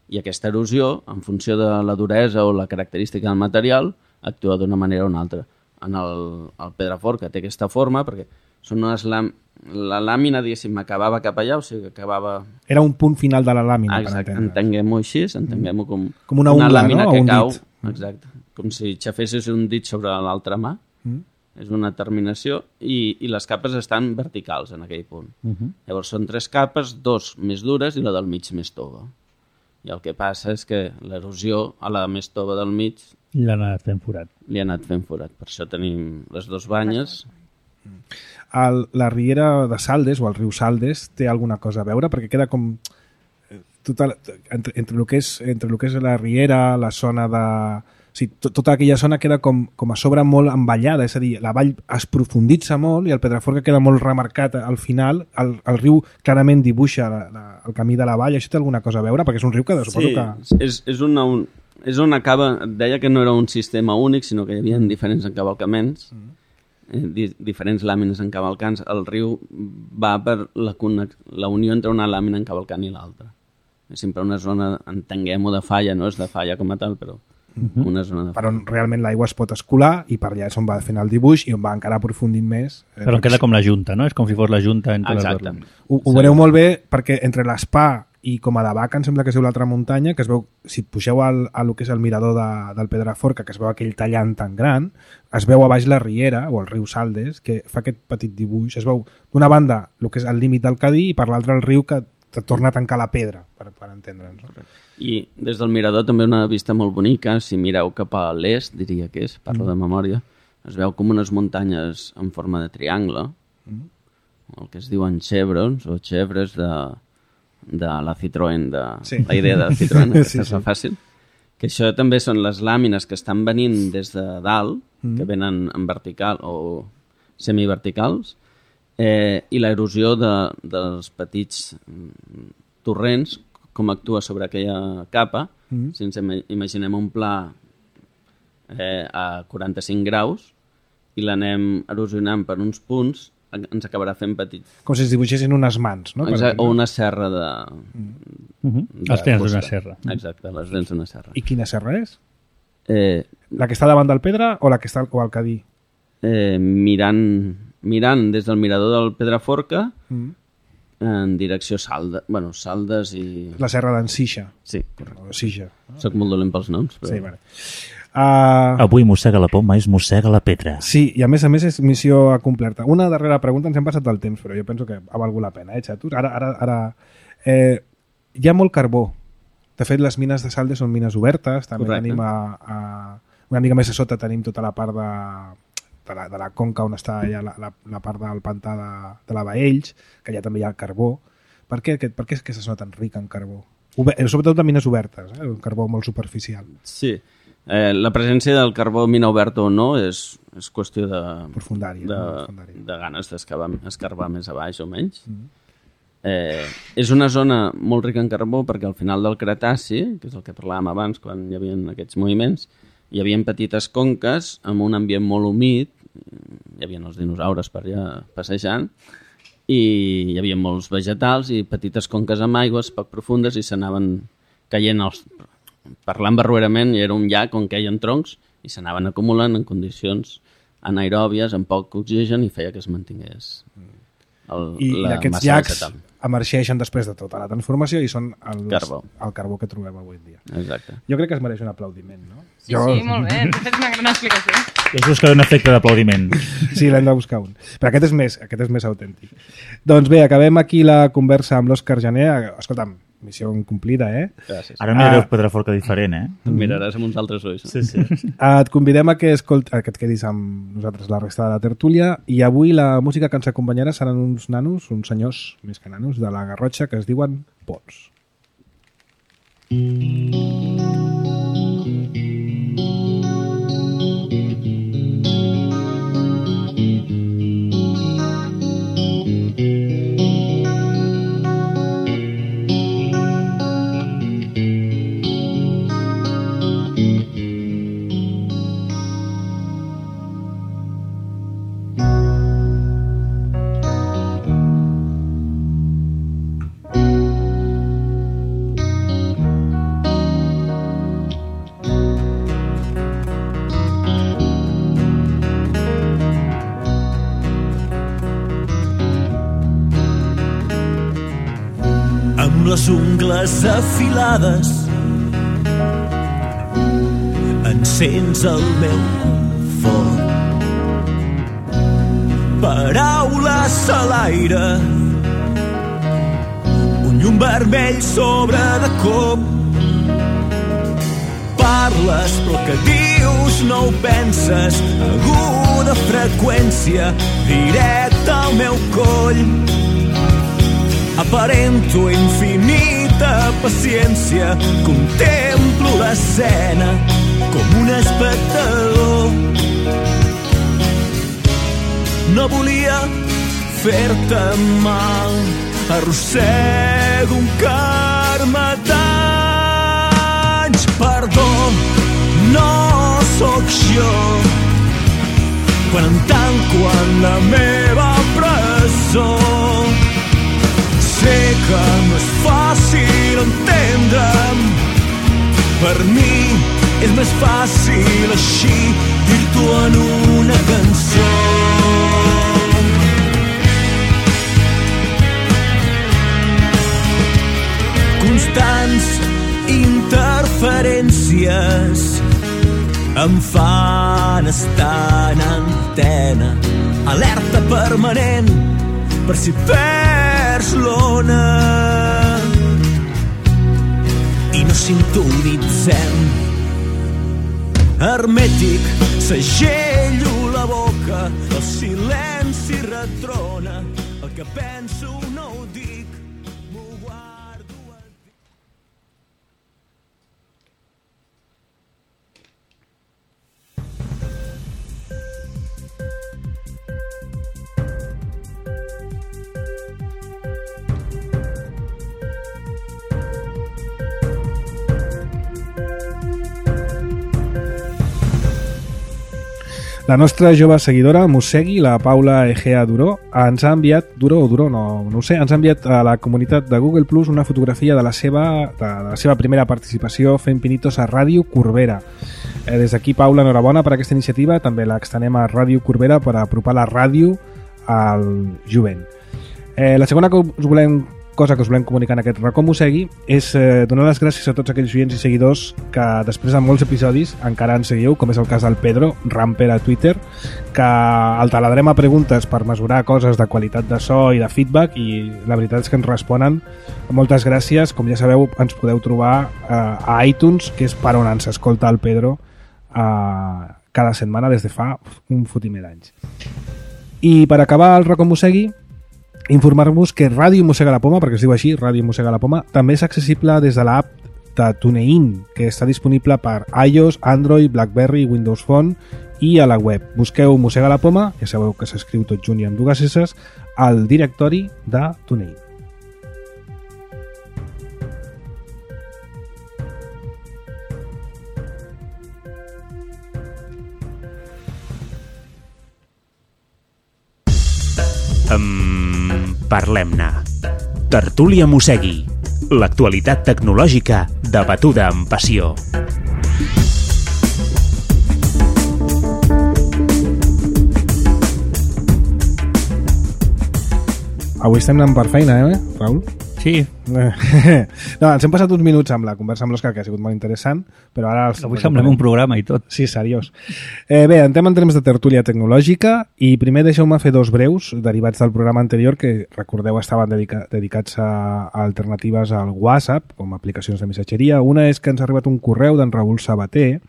I aquesta erosió, en funció de la duresa o la característica del material, actua d'una manera o una altra. En el Pedraforca té aquesta forma perquè són la làmina, diguéssim, acabava cap allà, o sigui que acabava... Era un punt final de la làmina. Exacte, entenguem-ho així, entenguem-ho com una ungla, làmina, no? que Un cau. dit. Exacte, com si xafessis un dit sobre l'altra mà. És una terminació i les capes estan verticals en aquell punt. Llavors són 3 capes, 2 més dures i la del mig més tova. I el que passa és que l'erosió a la més tova del mig li ha anat fent forat. Per això tenim les 2 banyes. La riera de Saldes o el riu Saldes té alguna cosa a veure? Perquè queda com entre el que és la riera, la zona de... O sigui, tota aquella zona queda com a sobre molt envallada, és a dir, la vall es profunditza molt i el Pedraforca queda molt remarcat al final, el riu clarament dibuixa el camí de la vall. Això té alguna cosa a veure? Perquè és un riu que suposo que... És on acaba, deia que no era un sistema únic, sinó que hi havia diferents encavalcaments, diferents làmines encavalcants. El riu va per la unió entre una làmina encavalcant i l'altra. És sempre una zona, entenguem-ho, de falla, no és de falla com a tal, però una zona de falla. Però realment l'aigua es pot escolar i per allà és on va fent el dibuix i on va encara aprofundint més. Però queda com la junta, no? És com si fos la junta entre les dues. Ho veureu molt bé perquè entre l'Espa i com a de Baca em sembla que és l'altra muntanya, que es veu, si pugeu a lo que és el mirador del Pedraforca, que es veu aquell tallant tan gran, es veu a baix la riera, o el riu Saldes, que fa aquest petit dibuix, es veu d'una banda el que és el límit del Cadí i per l'altra el riu que te torna a tancar la pedra, per entendre'ns. No? I des del mirador també una vista molt bonica, si mireu cap a l'est, diria que és, parlo de memòria, es veu com unes muntanyes en forma de triangle, el que es diuen chevrons o chevres de la Citroën, la idea de Citroën, aquesta és la fàcil, que això també són les làmines que estan venint des de dalt, que venen en vertical o semiverticals, i l'erosió dels petits torrents, com actua sobre aquella capa, si ens imaginem un pla a 45 graus i l'anem erosionant per uns punts, ens acabarà fent petit. Com si es dibuixessin unes mans, no? Exacte, o una serra de els dents d'una serra. Exacte, les dents d'una serra. I quina serra és? La que està davant del Pedra o la que està al Cadí? Mirant des del mirador del Pedraforca en direcció Saldes i... La serra d'en Sixa. Sí. O Sixa. Soc molt dolent pels noms. Però... Sí, vale. Avui mossega la poma és mossega la pedra. Sí, i a més és missió acompleta. Una darrera pregunta, ens hem passat del temps, però jo penso que ha valgut la pena, xatos? Ara hi ha molt carbó. De fet, les mines de Saldes són mines obertes, també tenim una mica més a sota tenim tota la part de la conca on està ja la part del pantà de la Baells, que allà també hi ha carbó. Per què és que aquesta zona tan rica en carbó? Sobretot de mines obertes, un carbó molt superficial. Sí. La presència del carbó mina oberta o no és qüestió de ganes d'escarbar més a baix o menys. És una zona molt rica en carbó perquè al final del Cretaci, que és el que parlàvem abans quan hi havia aquests moviments, hi havia petites conques amb un ambient molt humit, hi havia els dinosaures per allà passejant, i hi havia molts vegetals i petites conques amb aigües poc profundes i s'anaven caient parlant barruerament, era un llac on queien troncs i s'anaven acumulant en condicions anaeròbies, amb poc oxigen, i feia que es mantingués I aquests llacs emergeixen després de tota la transformació i són el carbó que trobem avui en dia. Exacte. Jo crec que es mereix un aplaudiment, no? Sí, molt bé, has fet una gran explicació. I és buscar un efecte d'aplaudiment. Sí, l'hem de buscar un. Però aquest és més autèntic. Doncs bé, acabem aquí la conversa amb l'Òscar Jané. Escolta'm, missió incomplida, Gràcies. Ara mirareu Pedraforca diferent, Et miraràs amb uns altres ulls. Sí, sí. Et convidem que et quedis amb nosaltres la resta de la tertúlia, i avui la música que ens acompanyarà seran uns senyors més que nanos, de la Garrotxa, que es diuen Pols. Les ungles afilades encens el meu foc, paraules a l'aire, un llum vermell sobre de cop. Parles però que dius no ho penses, aguda freqüència directa al meu coll. Aparento infinita paciència, contemplo l'escena com un espectador. No volia fer-te mal, arrossego un carme d'anys. Perdó, no sóc jo, quan em tanco en la meva presó. Sé que no és fàcil entendre'm, per mi és més fàcil així dir-t'ho en una cançó. em fan estar en antena, alerta permanent per si perds l'ona. I no sintonitzem. Hermètic, segello la boca, el silenci retrona, el que penso no ho dic, m'ho guardo al dit. La nostra jove seguidora, Mossegui, la Paula Egea Duró, ens ha enviat, Duró, no ho sé, ens ha enviat a la comunitat de Google Plus una fotografia de la seva primera participació fent pinitos a Ràdio Corbera. Des d'aquí, Paula, enhorabona per aquesta iniciativa, també l'extenem a Ràdio Corbera per apropar la ràdio al jovent. La segona cosa que us volem comunicar en aquest racó Mossegui és donar les gràcies a tots aquells oients i seguidors que després de molts episodis encara ens seguiu, com és el cas del Pedro Ramper a Twitter, que el taladrem a preguntes per mesurar coses de qualitat de so i de feedback, i la veritat és que ens responen. Moltes gràcies. Com ja sabeu, ens podeu trobar a iTunes, que és per on ens escolta el Pedro cada setmana des de fa un fotimer d'anys. I per acabar el racó Mossegui, informar-vos que Ràdio Mossega la Poma, perquè es diu així, Ràdio Mossega la Poma, també és accessible des de l'app de TuneIn, que està disponible per iOS, Android, BlackBerry, Windows Phone i a la web. Busqueu Mossega la Poma, ja sabeu que s'escriu tot junt i amb dues esses, al directori de TuneIn. Parlem-ne. Tertúlia Mossegui. L'actualitat tecnològica debatuda amb passió. Avui estem anant per feina, Raül? Sí. No, ens hem passat uns minuts amb la conversa amb l'Òscar, que ha sigut molt interessant, però ara... Avui semblem un programa i tot. Sí, seriós. Bé, entrem en termes de tertúlia tecnològica, i primer deixeu-me fer dos breus derivats del programa anterior, que recordeu estaven dedicats a alternatives al WhatsApp, com aplicacions de missatgeria. Una és que ens ha arribat un correu d'en Raül Sabater,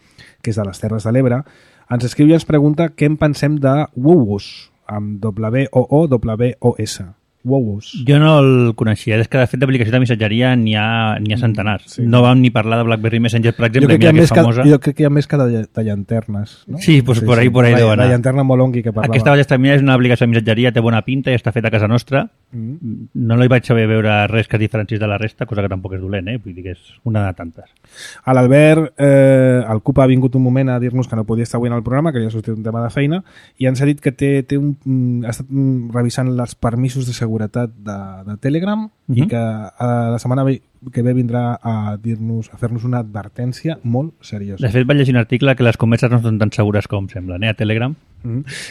que és de les Terres de l'Ebre. Ens escriu i ens pregunta què en pensem de Wowos, amb W-O-O-W-O-S. Wowos. Jo no el coneixia, és que de fet d'aplicació de missatgeria n'hi ha centenars. Sí. No vam ni parlar de BlackBerry Messenger, per exemple, mira que és famosa. Jo crec que hi ha més que de llanternes, no? Sí, pues sí, por ahí deu anar. La llanterna Molongi que parlava. Aquesta Ballestamina és una aplicació de missatgeria, té bona pinta i està feta a casa nostra. No li vaig saber veure res que es diferencis de la resta, cosa que tampoc és dolent, vull dir que és una de tantes. A l'Albert, el CUP ha vingut un moment a dir-nos que no podia estar avui en el programa, que ja ha sortit un tema de feina, i ens ha dit que ha estat revisant els permisos de seguretat de Telegram i que la setmana que ve vindrà a fer-nos una advertència molt seriosa. De fet, vaig llegir un article que les converses no són tan segures com semblen, a Telegram.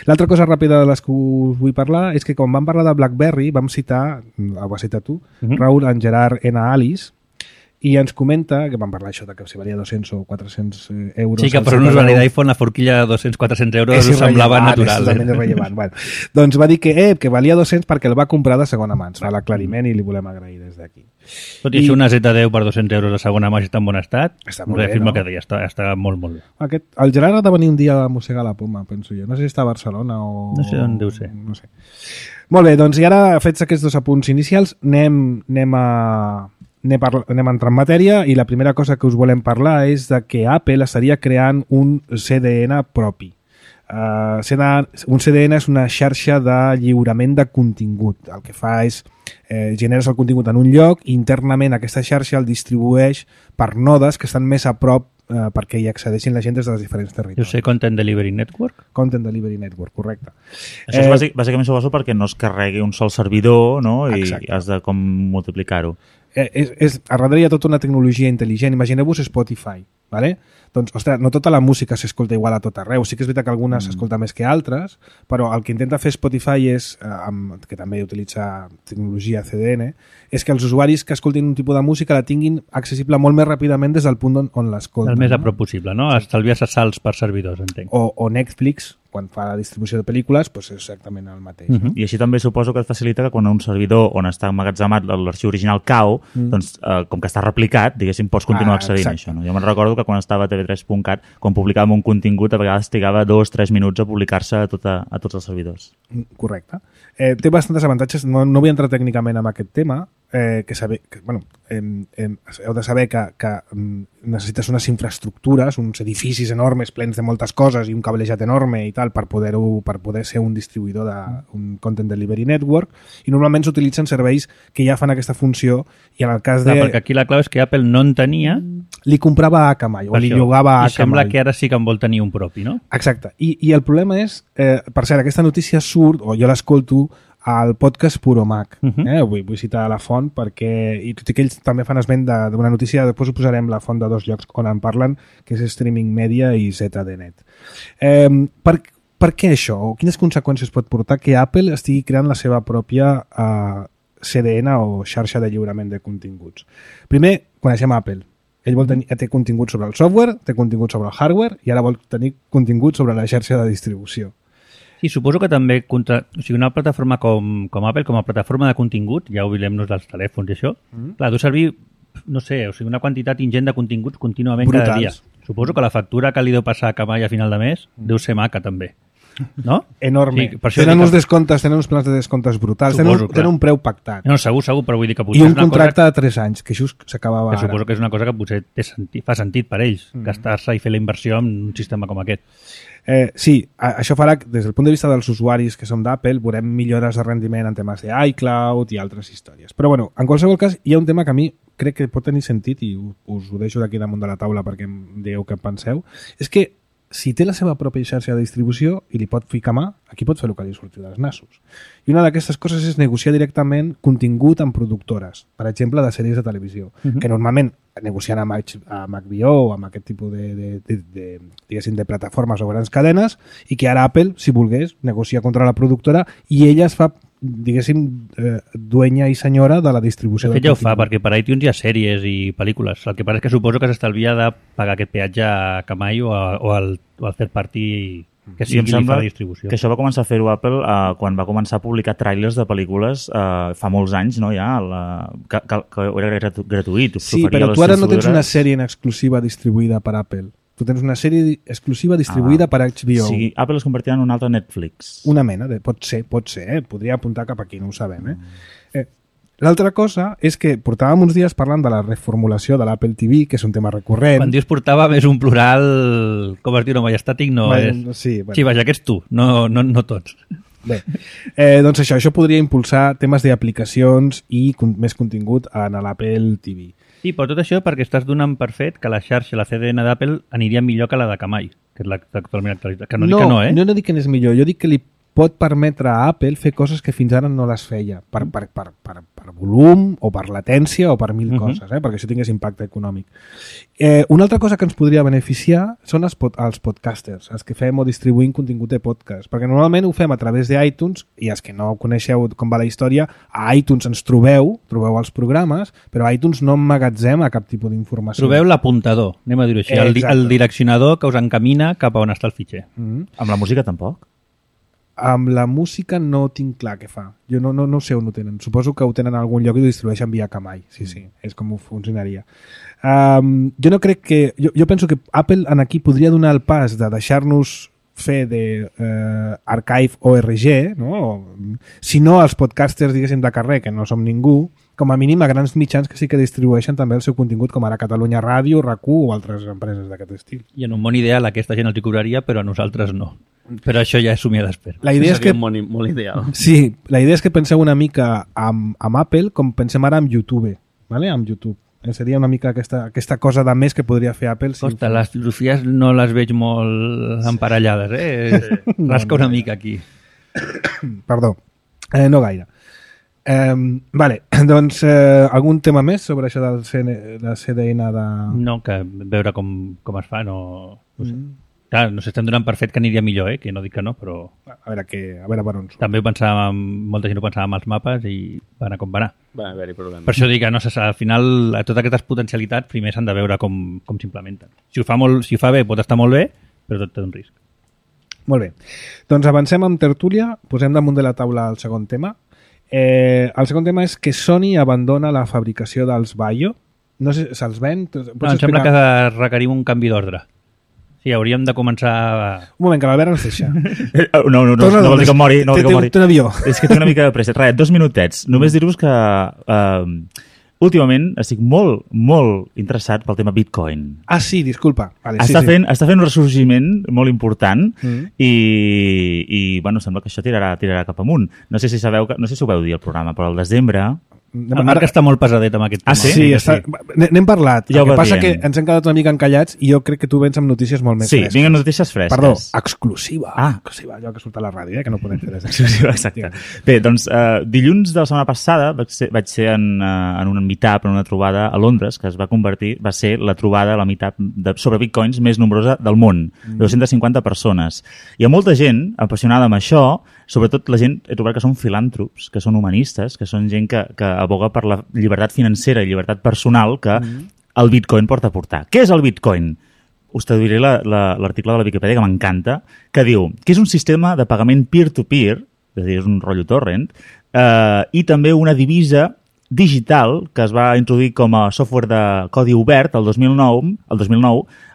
L'altra cosa ràpida de les que us vull parlar és que quan vam parlar de BlackBerry vam citar, ho vas citar tu, Raül, en Gerard N. Alice, i ens comenta, que vam parlar això de que si valia 200 o 400 euros... Sí, que per un usuari d'iPhone la forquilla de 200-400 euros us semblava natural. És irrellevant. Bueno, doncs va dir que valia 200 perquè el va comprar de segona mà. Ens fa l'aclariment i li volem agrair des d'aquí. Tot i això, una Z10 per 200 euros de segona mà està en bon estat. Està molt bé, no? Que està molt, molt bé. El Gerard ha de venir un dia a Mossegar la Poma, penso jo. No sé si està a Barcelona o... No sé on deu ser. No sé. Molt bé, doncs i ara, fets aquests dos apunts inicials, anem a entrar en matèria, i la primera cosa que us volem parlar és de que Apple estaria creant un CDN propi. Un CDN és una xarxa de lliurament de contingut. El que fa és generes el contingut en un lloc i internament aquesta xarxa el distribueix per nodes que estan més a prop perquè hi accedeixin la gent des dels diferents territoris. Jo sé, Content Delivery Network? Content Delivery Network, correcte. Això és bàsicament suposo perquè no es carregui un sol servidor, no? I has de com multiplicar-ho. a darrere hi ha tota una tecnologia intel·ligent. Imagineu-vos Spotify, ¿vale? Doncs, ostres, no tota la música s'escolta igual a tot arreu. Sí que és veritat que algunes s'escolta més que altres, però el que intenta fer Spotify és, que també utilitza tecnologia CDN, és que els usuaris que escoltin un tipus de música la tinguin accessible molt més ràpidament des del punt on l'escolten. El més a prop possible, no? Estalviar-se salts per servidors, entenc. O Netflix, quan fa la distribució de pel·lícules, doncs és exactament el mateix. No? I així també suposo que et facilita que quan un servidor on està emmagatzemat l'arxiu original cau, doncs, com que està replicat, diguéssim, pots continuar accedint a això. No? Jo me'n recordo que quan estava a tv3.cat, quan publicàvem un contingut, a vegades trigava 2-3 minuts a publicar-se a tots els servidors. Correcte. Té bastants avantatges. No vull entrar tècnicament en aquest tema, heu de saber que necessites unes infraestructures, uns edificis enormes plens de moltes coses i un cablejat enorme i tal per poder ser un distribuïdor d'un Content Delivery Network, i normalment s'utilitzen serveis que ja fan aquesta funció, i en el cas de... Perquè aquí la clau és que Apple no en tenia... Li comprava a Akamai, o li llogava a Akamai. I sembla que ara sí que en vol tenir un propi, no? Exacte. I el problema és, per cert, aquesta notícia surt, o jo l'escolto, al podcast Puro Mac. Vull citar la font perquè, i tot i que ells també fan esment d'una notícia, després ho posarem la font de 2 llocs on en parlen, que és Streaming Media i ZDNet. Per què això? O quines conseqüències pot portar que Apple estigui creant la seva pròpia CDN o xarxa de lliurament de continguts? Primer, coneixem Apple. Ell té contingut sobre el software, té contingut sobre el hardware i ara vol tenir contingut sobre la xarxa de distribució. Sí, suposo que també una plataforma com Apple, com a plataforma de contingut, ja oblidem-nos dels telèfons i això, clar, deu servir, no sé, una quantitat ingent de continguts contínuament cada dia. Suposo que la factura que li deu passar a Akamai a final de mes deu ser maca també, no? Enorme. Sí, tenen uns descomptes, tenen uns plans de descomptes brutals, tenen un preu pactat. No, segur, però vull dir que potser i un contracte de 3 anys, que just s'acabava ara. Suposo que és una cosa que potser fa sentit per ells, gastar-se i fer la inversió en un sistema com aquest. Sí, això farà que des del punt de vista dels usuaris que som d'Apple veurem millores de rendiment en temes d'iCloud i altres històries. Però bueno, en qualsevol cas hi ha un tema que a mi crec que pot tenir sentit i us ho deixo d'aquí damunt de la taula perquè em digueu què penseu. És que si té la seva pròpia xarxa de distribució i li pot ficar mà, aquí pot fer el que li surti dels nassos. I una d'aquestes coses és negociar directament contingut amb productores, per exemple, de sèries de televisió, que normalment negociant amb HBO o amb aquest tipus de plataformes o grans cadenes, i que ara Apple, si volgués, negocia contra la productora i ella es fa, diguéssim, duenya i senyora de la distribució. De fet ja ho fa, perquè per iTunes hi ha sèries i pel·lícules. El que passa és que suposo que s'estalvia de pagar aquest peatge a Akamai o al third party que sí, em sembla que això va començar a fer-ho Apple quan va començar a publicar tràilers de pel·lícules fa molts anys, no, ja, que era gratuït. Sí, però tu ara no tens una sèrie en exclusiva distribuïda per Apple. Tu tens una sèrie exclusiva distribuïda per HBO. Sí, Apple es convertirà en un altre Netflix. Una mena de... Pot ser. Podria apuntar cap aquí, no ho sabem. L'altra cosa és que portàvem uns dies parlant de la reformulació de l'Apple TV, que és un tema recurrent. Quan dius portàvem és un plural, com es diu, no majestàtic, no és... Sí, vaja, que és tu, no tots. Bé, doncs això podria impulsar temes d'aplicacions i més contingut en l'Apple TV. Sí, però tot això perquè estàs donant per fet que la xarxa, la CDN d'Apple, aniria millor que la d'Akamai, que és l'actualment actualitzada. Que no dic que no, eh? No dic que n'és millor, jo dic que li pot permetre a Apple fer coses que fins ara no les feia, per volum, o per latència, o per mil coses, perquè això tingués impacte econòmic. Una altra cosa que ens podria beneficiar són els podcasters, els que fem o distribuïm contingut de podcast, perquè normalment ho fem a través d'iTunes, i els que no coneixeu com va la història, a iTunes ens trobeu els programes, però a iTunes no emmagatzema cap tipus d'informació. Trobeu l'apuntador, anem a dir-ho així, el direccionador que us encamina cap a on està el fitxer. Amb la música tampoc? Amb la música no tinc clar què fa. Jo no sé on ho tenen. Suposo que ho tenen a algun lloc i ho distribueixen via Akamai. Sí, és com ho funcionaria. Jo no crec que... Jo penso que Apple en aquí podria donar el pas de deixar-nos fer d'archive.org, no? Si no els podcasters, diguéssim, de carrer, que no som ningú, com a mínim a grans mitjans que sí que distribueixen també el seu contingut, com ara Catalunya Ràdio, RAC1 o altres empreses d'aquest estil. I en un món ideal aquesta gent els hi cobraria, però a nosaltres no. Però això ja és somia d'espera. La idea és que molt ideal. Sí, la idea és que penseu una mica amb Apple com pensem ara amb YouTube, ¿vale? Amb YouTube. Seria una mica aquesta cosa de més que podria fer Apple. Costa, les filosofies no les veig molt emparellades, Rasca una mica aquí. Perdó, no gaire. Vale, doncs algun tema més sobre això del CDN de... No, que veure com es fa, no sé. Clar, no s'estem donant per fet que aniria millor, que no dic que no, però... A veure per on surt. També molta gent ho pensava amb els mapes i va anar com va anar. Va haver-hi problemes. Per això dic que no, al final totes aquestes potencialitats primer s'han de veure com s'implementen. Si ho fa bé pot estar molt bé, però tot té un risc. Molt bé. Doncs avancem amb tertúlia, posem damunt de la taula el segon tema. El segon tema és que Sony abandona la fabricació dels Vaio. No sé, se'ls ven? No, em sembla que requerim un canvi d'ordre. Sí, hauríem de començar... Un moment, que l'Albert ens deixa. No vol dir que mori. No vol dir que mori. Té un avió. És que té una mica de pressa. Res, 2 minutets. Només dir-vos que últimament estic molt, molt interessat pel tema Bitcoin. Ah, sí, disculpa. Vale, està fent un ressorgiment molt important i bueno, sembla que això tirarà cap amunt. No sé si ho veu dir al programa, però al desembre... El Marc està molt pesadet amb aquest tema. Sí? N'hem parlat. Ja el que passa que ens hem quedat una mica encallats i jo crec que tu vens amb notícies molt més fresques. Sí, vinc amb notícies fresques. Perdó, exclusiva. Exclusiva, allò que surt a la ràdio, que no podem fer des d'exclusiva. Exacte. Bé, doncs, dilluns de la setmana passada vaig ser en un meetup, en una trobada a Londres, que va ser la trobada, la meetup sobre bitcoins més nombrosa del món. 250 persones. Hi ha molta gent apassionada amb això, sobretot la gent, he trobat que són filàntrops, que són humanistes, que són gent que aboga per la llibertat financera i llibertat personal que el bitcoin porta a portar. Què és el bitcoin? Us traduiré l'article de la Viquipèdia que m'encanta, que diu que és un sistema de pagament peer-to-peer, és a dir, és un rotllo torrent, i també una divisa digital que es va introduir com a software de codi obert el 2009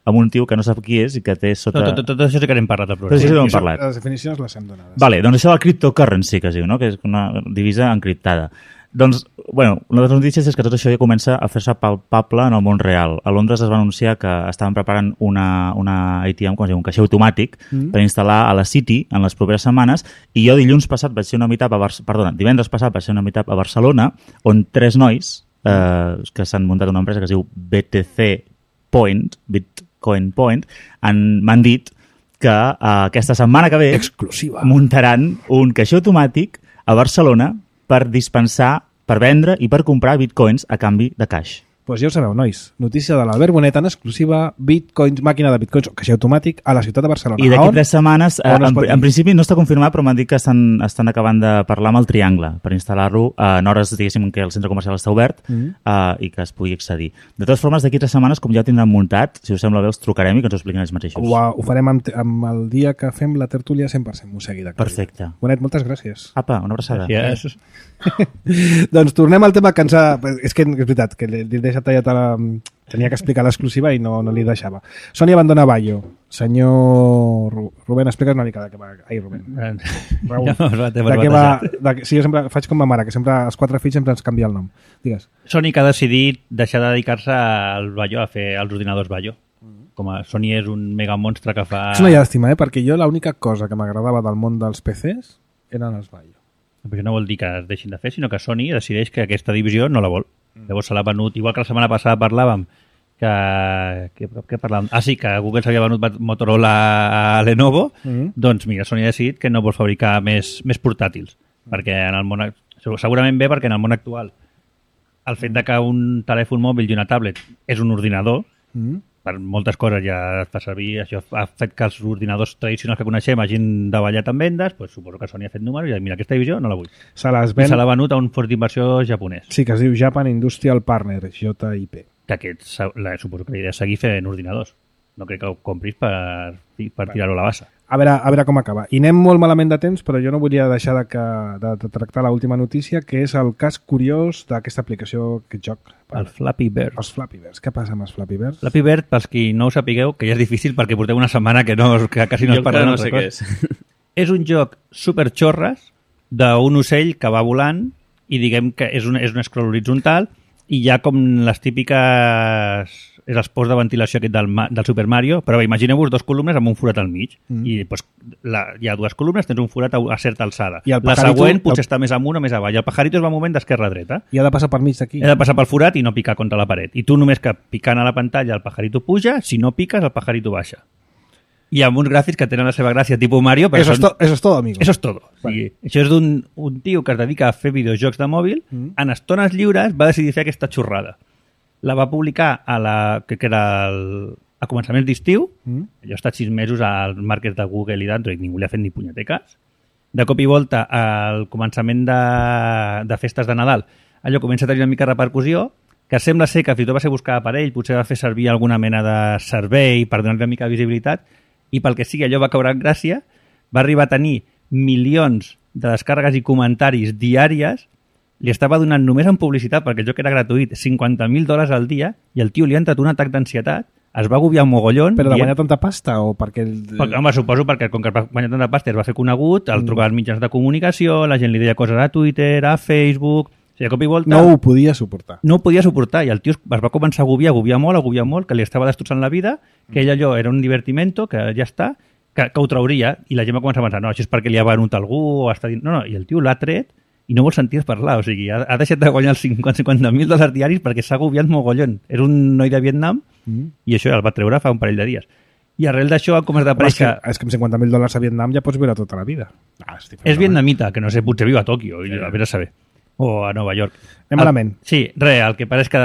amb un tio que no sap qui és i que té sota... Tot això sí que n'hem parlat al programa. Sí, hem parlat. Les definicions les hem donades. Vale, doncs això del cryptocurrency, que es diu, no? Que és una divisa encriptada. Doncs, bueno, una de les notícies és que tot això ja comença a fer-se palpable en el món real. A Londres es va anunciar que estaven preparant una ATM, com es diu, un caixer automàtic per instal·lar a la City en les properes setmanes, i jo divendres passat vaig ser una meetup a Barcelona, on 3 nois que s'han muntat una empresa que es diu BTC Point, Bitcoin Point, m'han dit que aquesta setmana que ve muntaran un caixer automàtic a Barcelona per dispensar, per vendre i per comprar bitcoins a canvi de caix. Doncs ja ho sabeu, nois. Notícia de l'Albert Bonet en exclusiva, bitcoins, màquina de bitcoins o caixer automàtic a la ciutat de Barcelona. I d'aquí 3 setmanes, en principi no està confirmat, però m'han dit que estan acabant de parlar amb el Triangle per instal·lar-lo en hores, diguéssim, que el centre comercial està obert i que es pugui accedir. De totes formes, d'aquí 3 setmanes, com ja ho tindran muntat, si us sembla bé, els trucarem i que ens ho expliquin ells mateixos. Ho farem amb el dia que fem la tertúlia 100% Mosegui. Perfecte. Bonet, moltes gràcies. Apa, una abraçada. Gràcies. Doncs tornem al tema que ens ha... És que és veritat, que l'he deixat tallat a la... Tenia que explicar l'exclusiva i no li deixava. Sony abandona Vaio. Senyor Rubén, explica's una mica de què va... Ai, Rubén. Raül. De què va... Sí, jo sempre faig com ma mare, que sempre els 4 fills sempre ens canvia el nom. Digues. Sony que ha decidit deixar de dedicar-se al Vaio, a fer els ordinadors Vaio. Com a Sony és un mega monstre que fa... És una llàstima, perquè jo l'única cosa que m'agradava del món dels PCs eren els Vaio. Però això no vol dir que es deixin de fer, sinó que Sony decideix que aquesta divisió no la vol. Llavors se l'ha venut, igual que la setmana passada parlàvem que parlàvem? Sí, que Google s'havia venut Motorola a Lenovo, doncs mira, Sony ha decidit que no vol fabricar més portàtils, perquè en el món, segurament bé perquè en el món actual el fet de que un telèfon mòbil i una tablet és un ordinador, per moltes coses ja es fa servir, això ha fet que els ordinadors tradicionals que coneixem hagin davallat en vendes, doncs suposo que Sony ha fet números i mira, aquesta divisió no la vull. Se l'ha venut a un fons d'inversió japonès. Sí, que es diu Japan Industrial Partner, JIP. Que suposo que la idea és seguir fent ordinadors. No crec que ho compris per tirar-ho a la bassa. A veure com acaba. I anem molt malament de temps, però jo no volia deixar de tractar l'última notícia, que és el cas curiós d'aquesta aplicació, aquest joc. El Flappy Bird. Els Flappy Birds. Què passa amb els Flappy Birds? Flappy Bird, pels qui no ho sapigueu, que ja és difícil perquè porteu una setmana que quasi no es parla d'altra cosa. Jo no sé què és. És un joc superxorres d'un ocell que va volant i diguem que és un scroll horitzontal i hi ha com les típiques... és els posts de ventilació aquest del Super Mario, però imagineu-vos 2 columnes amb un forat al mig. I doncs, hi ha 2 columnes, tens un forat a certa alçada. La següent potser està més amunt o més avall. El pajarito es va movent d'esquerra a dreta. I ha de passar per mig d'aquí. Ha de passar pel forat i no picar contra la paret. I tu només que picant a la pantalla el pajarito puja, si no piques el pajarito baixa. i amb uns gràfics que tenen la seva gràcia tipus Mario. Però eso es todo, amigo. Eso es todo. O sigui, això és un tio que es dedica a fer videojocs de mòbil, en estones lliures va decidir fer aquesta xorrada. La va publicar que era a començaments d'estiu, allò ha estat 6 mesos als markets de Google i d'Android, ningú li ha fet ni punyeter cas. De cop i volta, al començament de festes de Nadal, allò comença a tenir una mica de repercussió, que sembla ser que fins i tot va ser buscada per ell, potser va fer servir alguna mena de servei per donar una mica de visibilitat, i pel que sigui allò va caure en gràcia, va arribar a tenir milions de descàrregues i comentaris diàries, li estava donant només en publicitat, perquè el joc era gratuït, $50,000 al dia, i el tio li ha entrat un atac d'ansietat, es va agobiar un mogollon... Però de guanyar tanta pasta o perquè... Home, suposo perquè com que va guanyar tanta pasta es va fer conegut, el trucar als mitjans de comunicació, la gent li deia coses a Twitter, a Facebook... O sigui, a cop i volta... No ho podia suportar. No ho podia suportar, i el tio es va començar a agobiar molt, que li estava destrossant la vida, que ell allò era un divertimento, que ja està, que ho trauria, i la gent va començar a pensar, no, això és perquè li ha venut algú, o està dient... No, i el tio l'ha tret i no vol sentir parlar, o sigui, ha deixat de guanyar els $50,000 diaris perquè s'ha agobiat mogollon. Era un noi de Vietnam i això el va treure fa un parell de dies. I arrel d'això com es d'aparèixer... És que amb $50,000 a Vietnam ja pots viure tota la vida. És vietnamita, que no sé, potser viu a Tòquio, a veure saber. O a Nova York. Anem malament. Sí, el que pare és que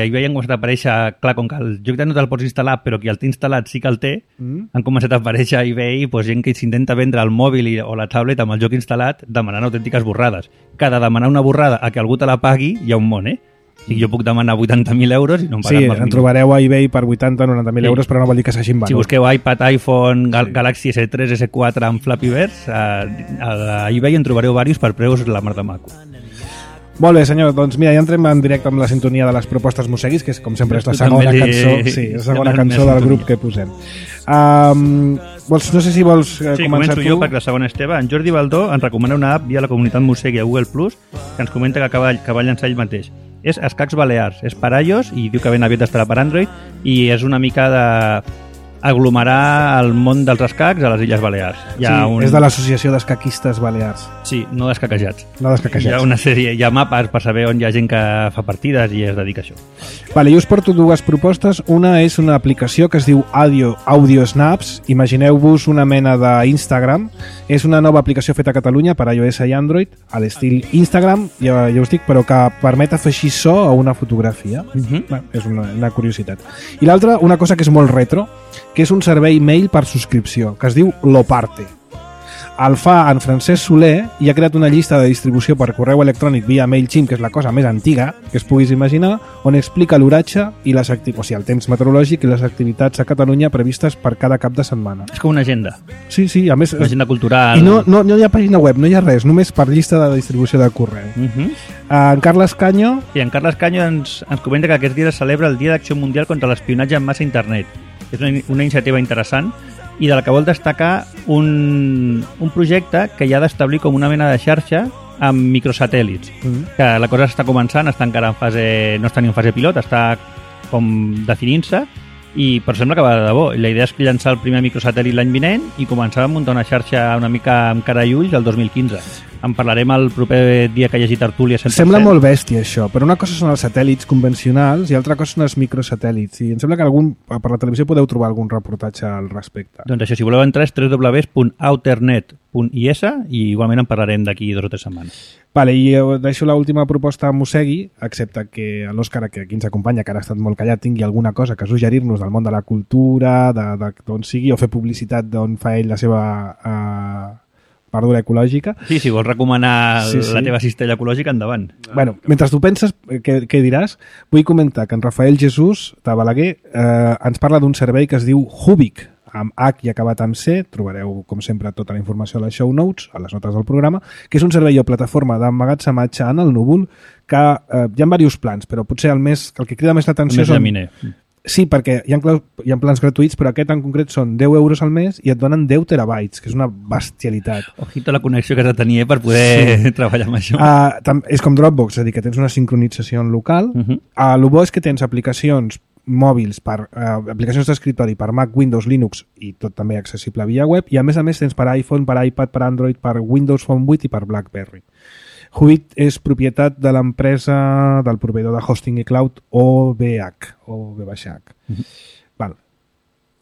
eBay han començat a aparèixer, clar, com que el joc no te'l pots instal·lar, però qui el té instal·lat sí que el té, han començat a aparèixer a eBay gent que s'intenta vendre el mòbil o la tablet amb el joc instal·lat demanant autèntiques borrades. Cada demanar una borrada a que algú te la pagui hi ha un món, eh? O sigui, jo puc demanar 80.000 euros i no em paguen en trobareu a eBay per 80-90.000 euros, però no vol dir que s'hagin venut. Si busqueu iPad, iPhone, Galaxy S3, S4 amb Flappy Birds, a eBay en trobareu diversos per preus la mar de maco. Molt bé, senyor. Doncs mira, ja entrem en directe amb la sintonia de les propostes Mosseguis, que és, com sempre, és la segona cançó, la segona cançó del grup que posem. No sé si vols començar tu. Sí, començo jo, perquè la segona és teva. En Jordi Baldó ens recomana una app via la comunitat Mossegui a Google Plus, que ens comenta que va llançar ell mateix. És Escacs Balears, és per iOS i diu que ben aviat estarà per Android, i és una mica de aglomerar el món dels escacs a les Illes Balears. És de l'Associació d'Escaquistes Balears. Sí, no descaquejats. No descaquejats. Hi ha una sèrie, hi ha mapes per saber on hi ha gent que fa partides i es dedica a això. Vale, jo us porto dues propostes. Una és una aplicació que es diu Audio Snaps. Imagineu-vos una mena d'Instagram. És una nova aplicació feta a Catalunya per iOS i Android, a l'estil Instagram, ja us dic, però que permet afegir so a una fotografia. És una curiositat. I l'altra, una cosa que és molt retro, que és un servei mail per subscripció, que es diu Loparte. El fa en Francesc Soler i ha creat una llista de distribució per correu electrònic via MailChimp, que és la cosa més antiga que es puguis imaginar, on explica l'oratge i el temps meteorològic i les activitats a Catalunya previstes per cada cap de setmana. És com una agenda. Sí, a més... Una agenda cultural. I no hi ha pàgina web, no hi ha res, només per llista de distribució de correu. En Carles Canyo... Sí, en Carles Canyo ens comenta que aquest dia es celebra el Dia d'Acció Mundial contra l'Espionatge en massa a internet. És una iniciativa interessant i de la que vol destacar un projecte que hi ha d'establir com una mena de xarxa amb microsatèl·lits, que la cosa està començant, està encara en fase, no està ni en fase pilot, està com definint-se, però sembla que va de debò. La idea és llançar el primer microsatèl·lit l'any vinent i començar a muntar una xarxa una mica amb cara i ulls el 2015. En parlarem el proper dia que hi hagi tertúlia 100%. Sembla molt bèstia això, però una cosa són els satèl·lits convencionals i altra cosa són els microsatèl·lits, i em sembla que per la televisió podeu trobar algun reportatge al respecte. Doncs això, si voleu entrar és www.outernet.is i igualment en parlarem d'aquí 2 o 3 setmanes. Vale, i deixo l'última proposta a Mossegui, excepte que l'Òscar, que aquí ens acompanya, que ara ha estat molt callat, tingui alguna cosa que suggerir-nos del món de la cultura, d'on sigui, o fer publicitat d'on fa ell la seva verdura ecològica. Sí, si vols recomanar la teva cistella ecològica, endavant. Bueno, mentre tu penses què diràs, vull comentar que en Rafael Jesús de Balaguer ens parla d'un servei que es diu Hubic, amb H i acabat amb C. Trobareu, com sempre, tota la informació a les show notes, a les notes del programa, que és un servei o plataforma d'emmagatzematge en el núvol que hi ha diversos plans, però potser el que crida més l'atenció són... Sí, perquè hi ha plans gratuïts, però aquest en concret són 10 euros al mes i et donen 10 terabytes, que és una bestialitat. Ojito la connexió que has de tenir per poder treballar amb això. És com Dropbox, és a dir, que tens una sincronització en local. El bo és que tens aplicacions mòbils, aplicacions d'escriptori per Mac, Windows, Linux i tot també accessible via web, i a més tens per iPhone, per iPad, per Android, per Windows Phone 8 i per BlackBerry. Hubic és propietat de l'empresa del proveïdor de hosting i cloud OVH. Val.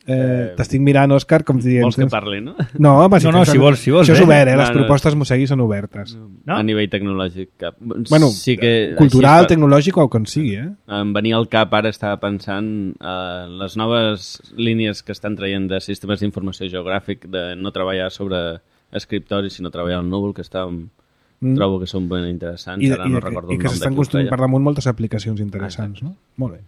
T'estic mirant, Òscar, com dient... Vols que parli, no? No, home, No, si vols, això és obert, No, les propostes Mosegui són obertes. No? A nivell tecnològic, cap. Bueno, sí que, cultural, així, tecnològic o com sigui, em venia al cap, ara estava pensant les noves línies que estan traient de sistemes d'informació geogràfic, de no treballar sobre escriptoris, sinó treballar al núvol, que trobo que són ben interessants. Ara no recordo el nom i que s'estan de qui ho construint feia. per damunt moltes aplicacions interessants, no? Molt bé.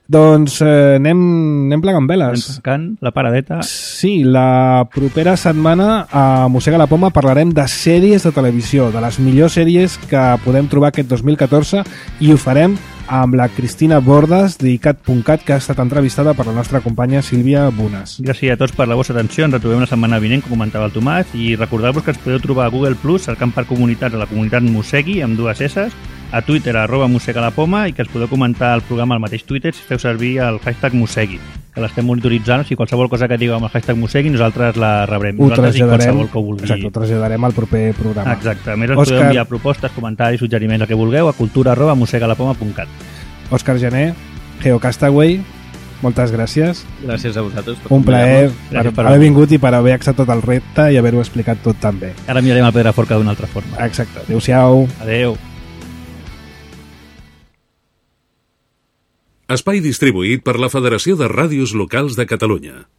Doncs anem plegant veles. Tancant la paradeta. Sí, la propera setmana a Mossega la Poma parlarem de sèries de televisió, de les millors sèries que podem trobar aquest 2014, i ho farem amb la Cristina Bordas d'ICAT.cat, que ha estat entrevistada per la nostra companya Sílvia Bunes. Gràcies a tots per la vostra atenció. Ens retrobem la setmana vinent, com comentava el Tomàs, i recordar-vos que ens podeu trobar a Google Plus cercant per comunitats a la comunitat Mosegui amb 2 S, a Twitter @mosegalapoma, i que ens podeu comentar el programa al mateix Twitter si feu servir el hashtag Mosegui, que l'estem monitoritzant. O sigui, qualsevol cosa que digueu amb el hashtag Mosegui nosaltres la rebrem. Ho Nosaltres i traslladarem, qualsevol que ho vulgui. exacte, ho traslladarem al proper programa. Exacte. A més, ens podeu enviar propostes, comentaris, suggeriments, el que vulgueu a cultura@mosegalapoma.cat. Òscar Jané, Geocastaway, moltes gràcies. Gràcies a vosaltres. Un plaer per haver vingut i per haver acceptat el repte i haver-ho explicat tot tan bé. Ara mirarem el Pedraforca d'una altra forma. Exacte. Adéu-siau. Adéu. Espai distribuït per la Federació de Ràdios Locals de Catalunya.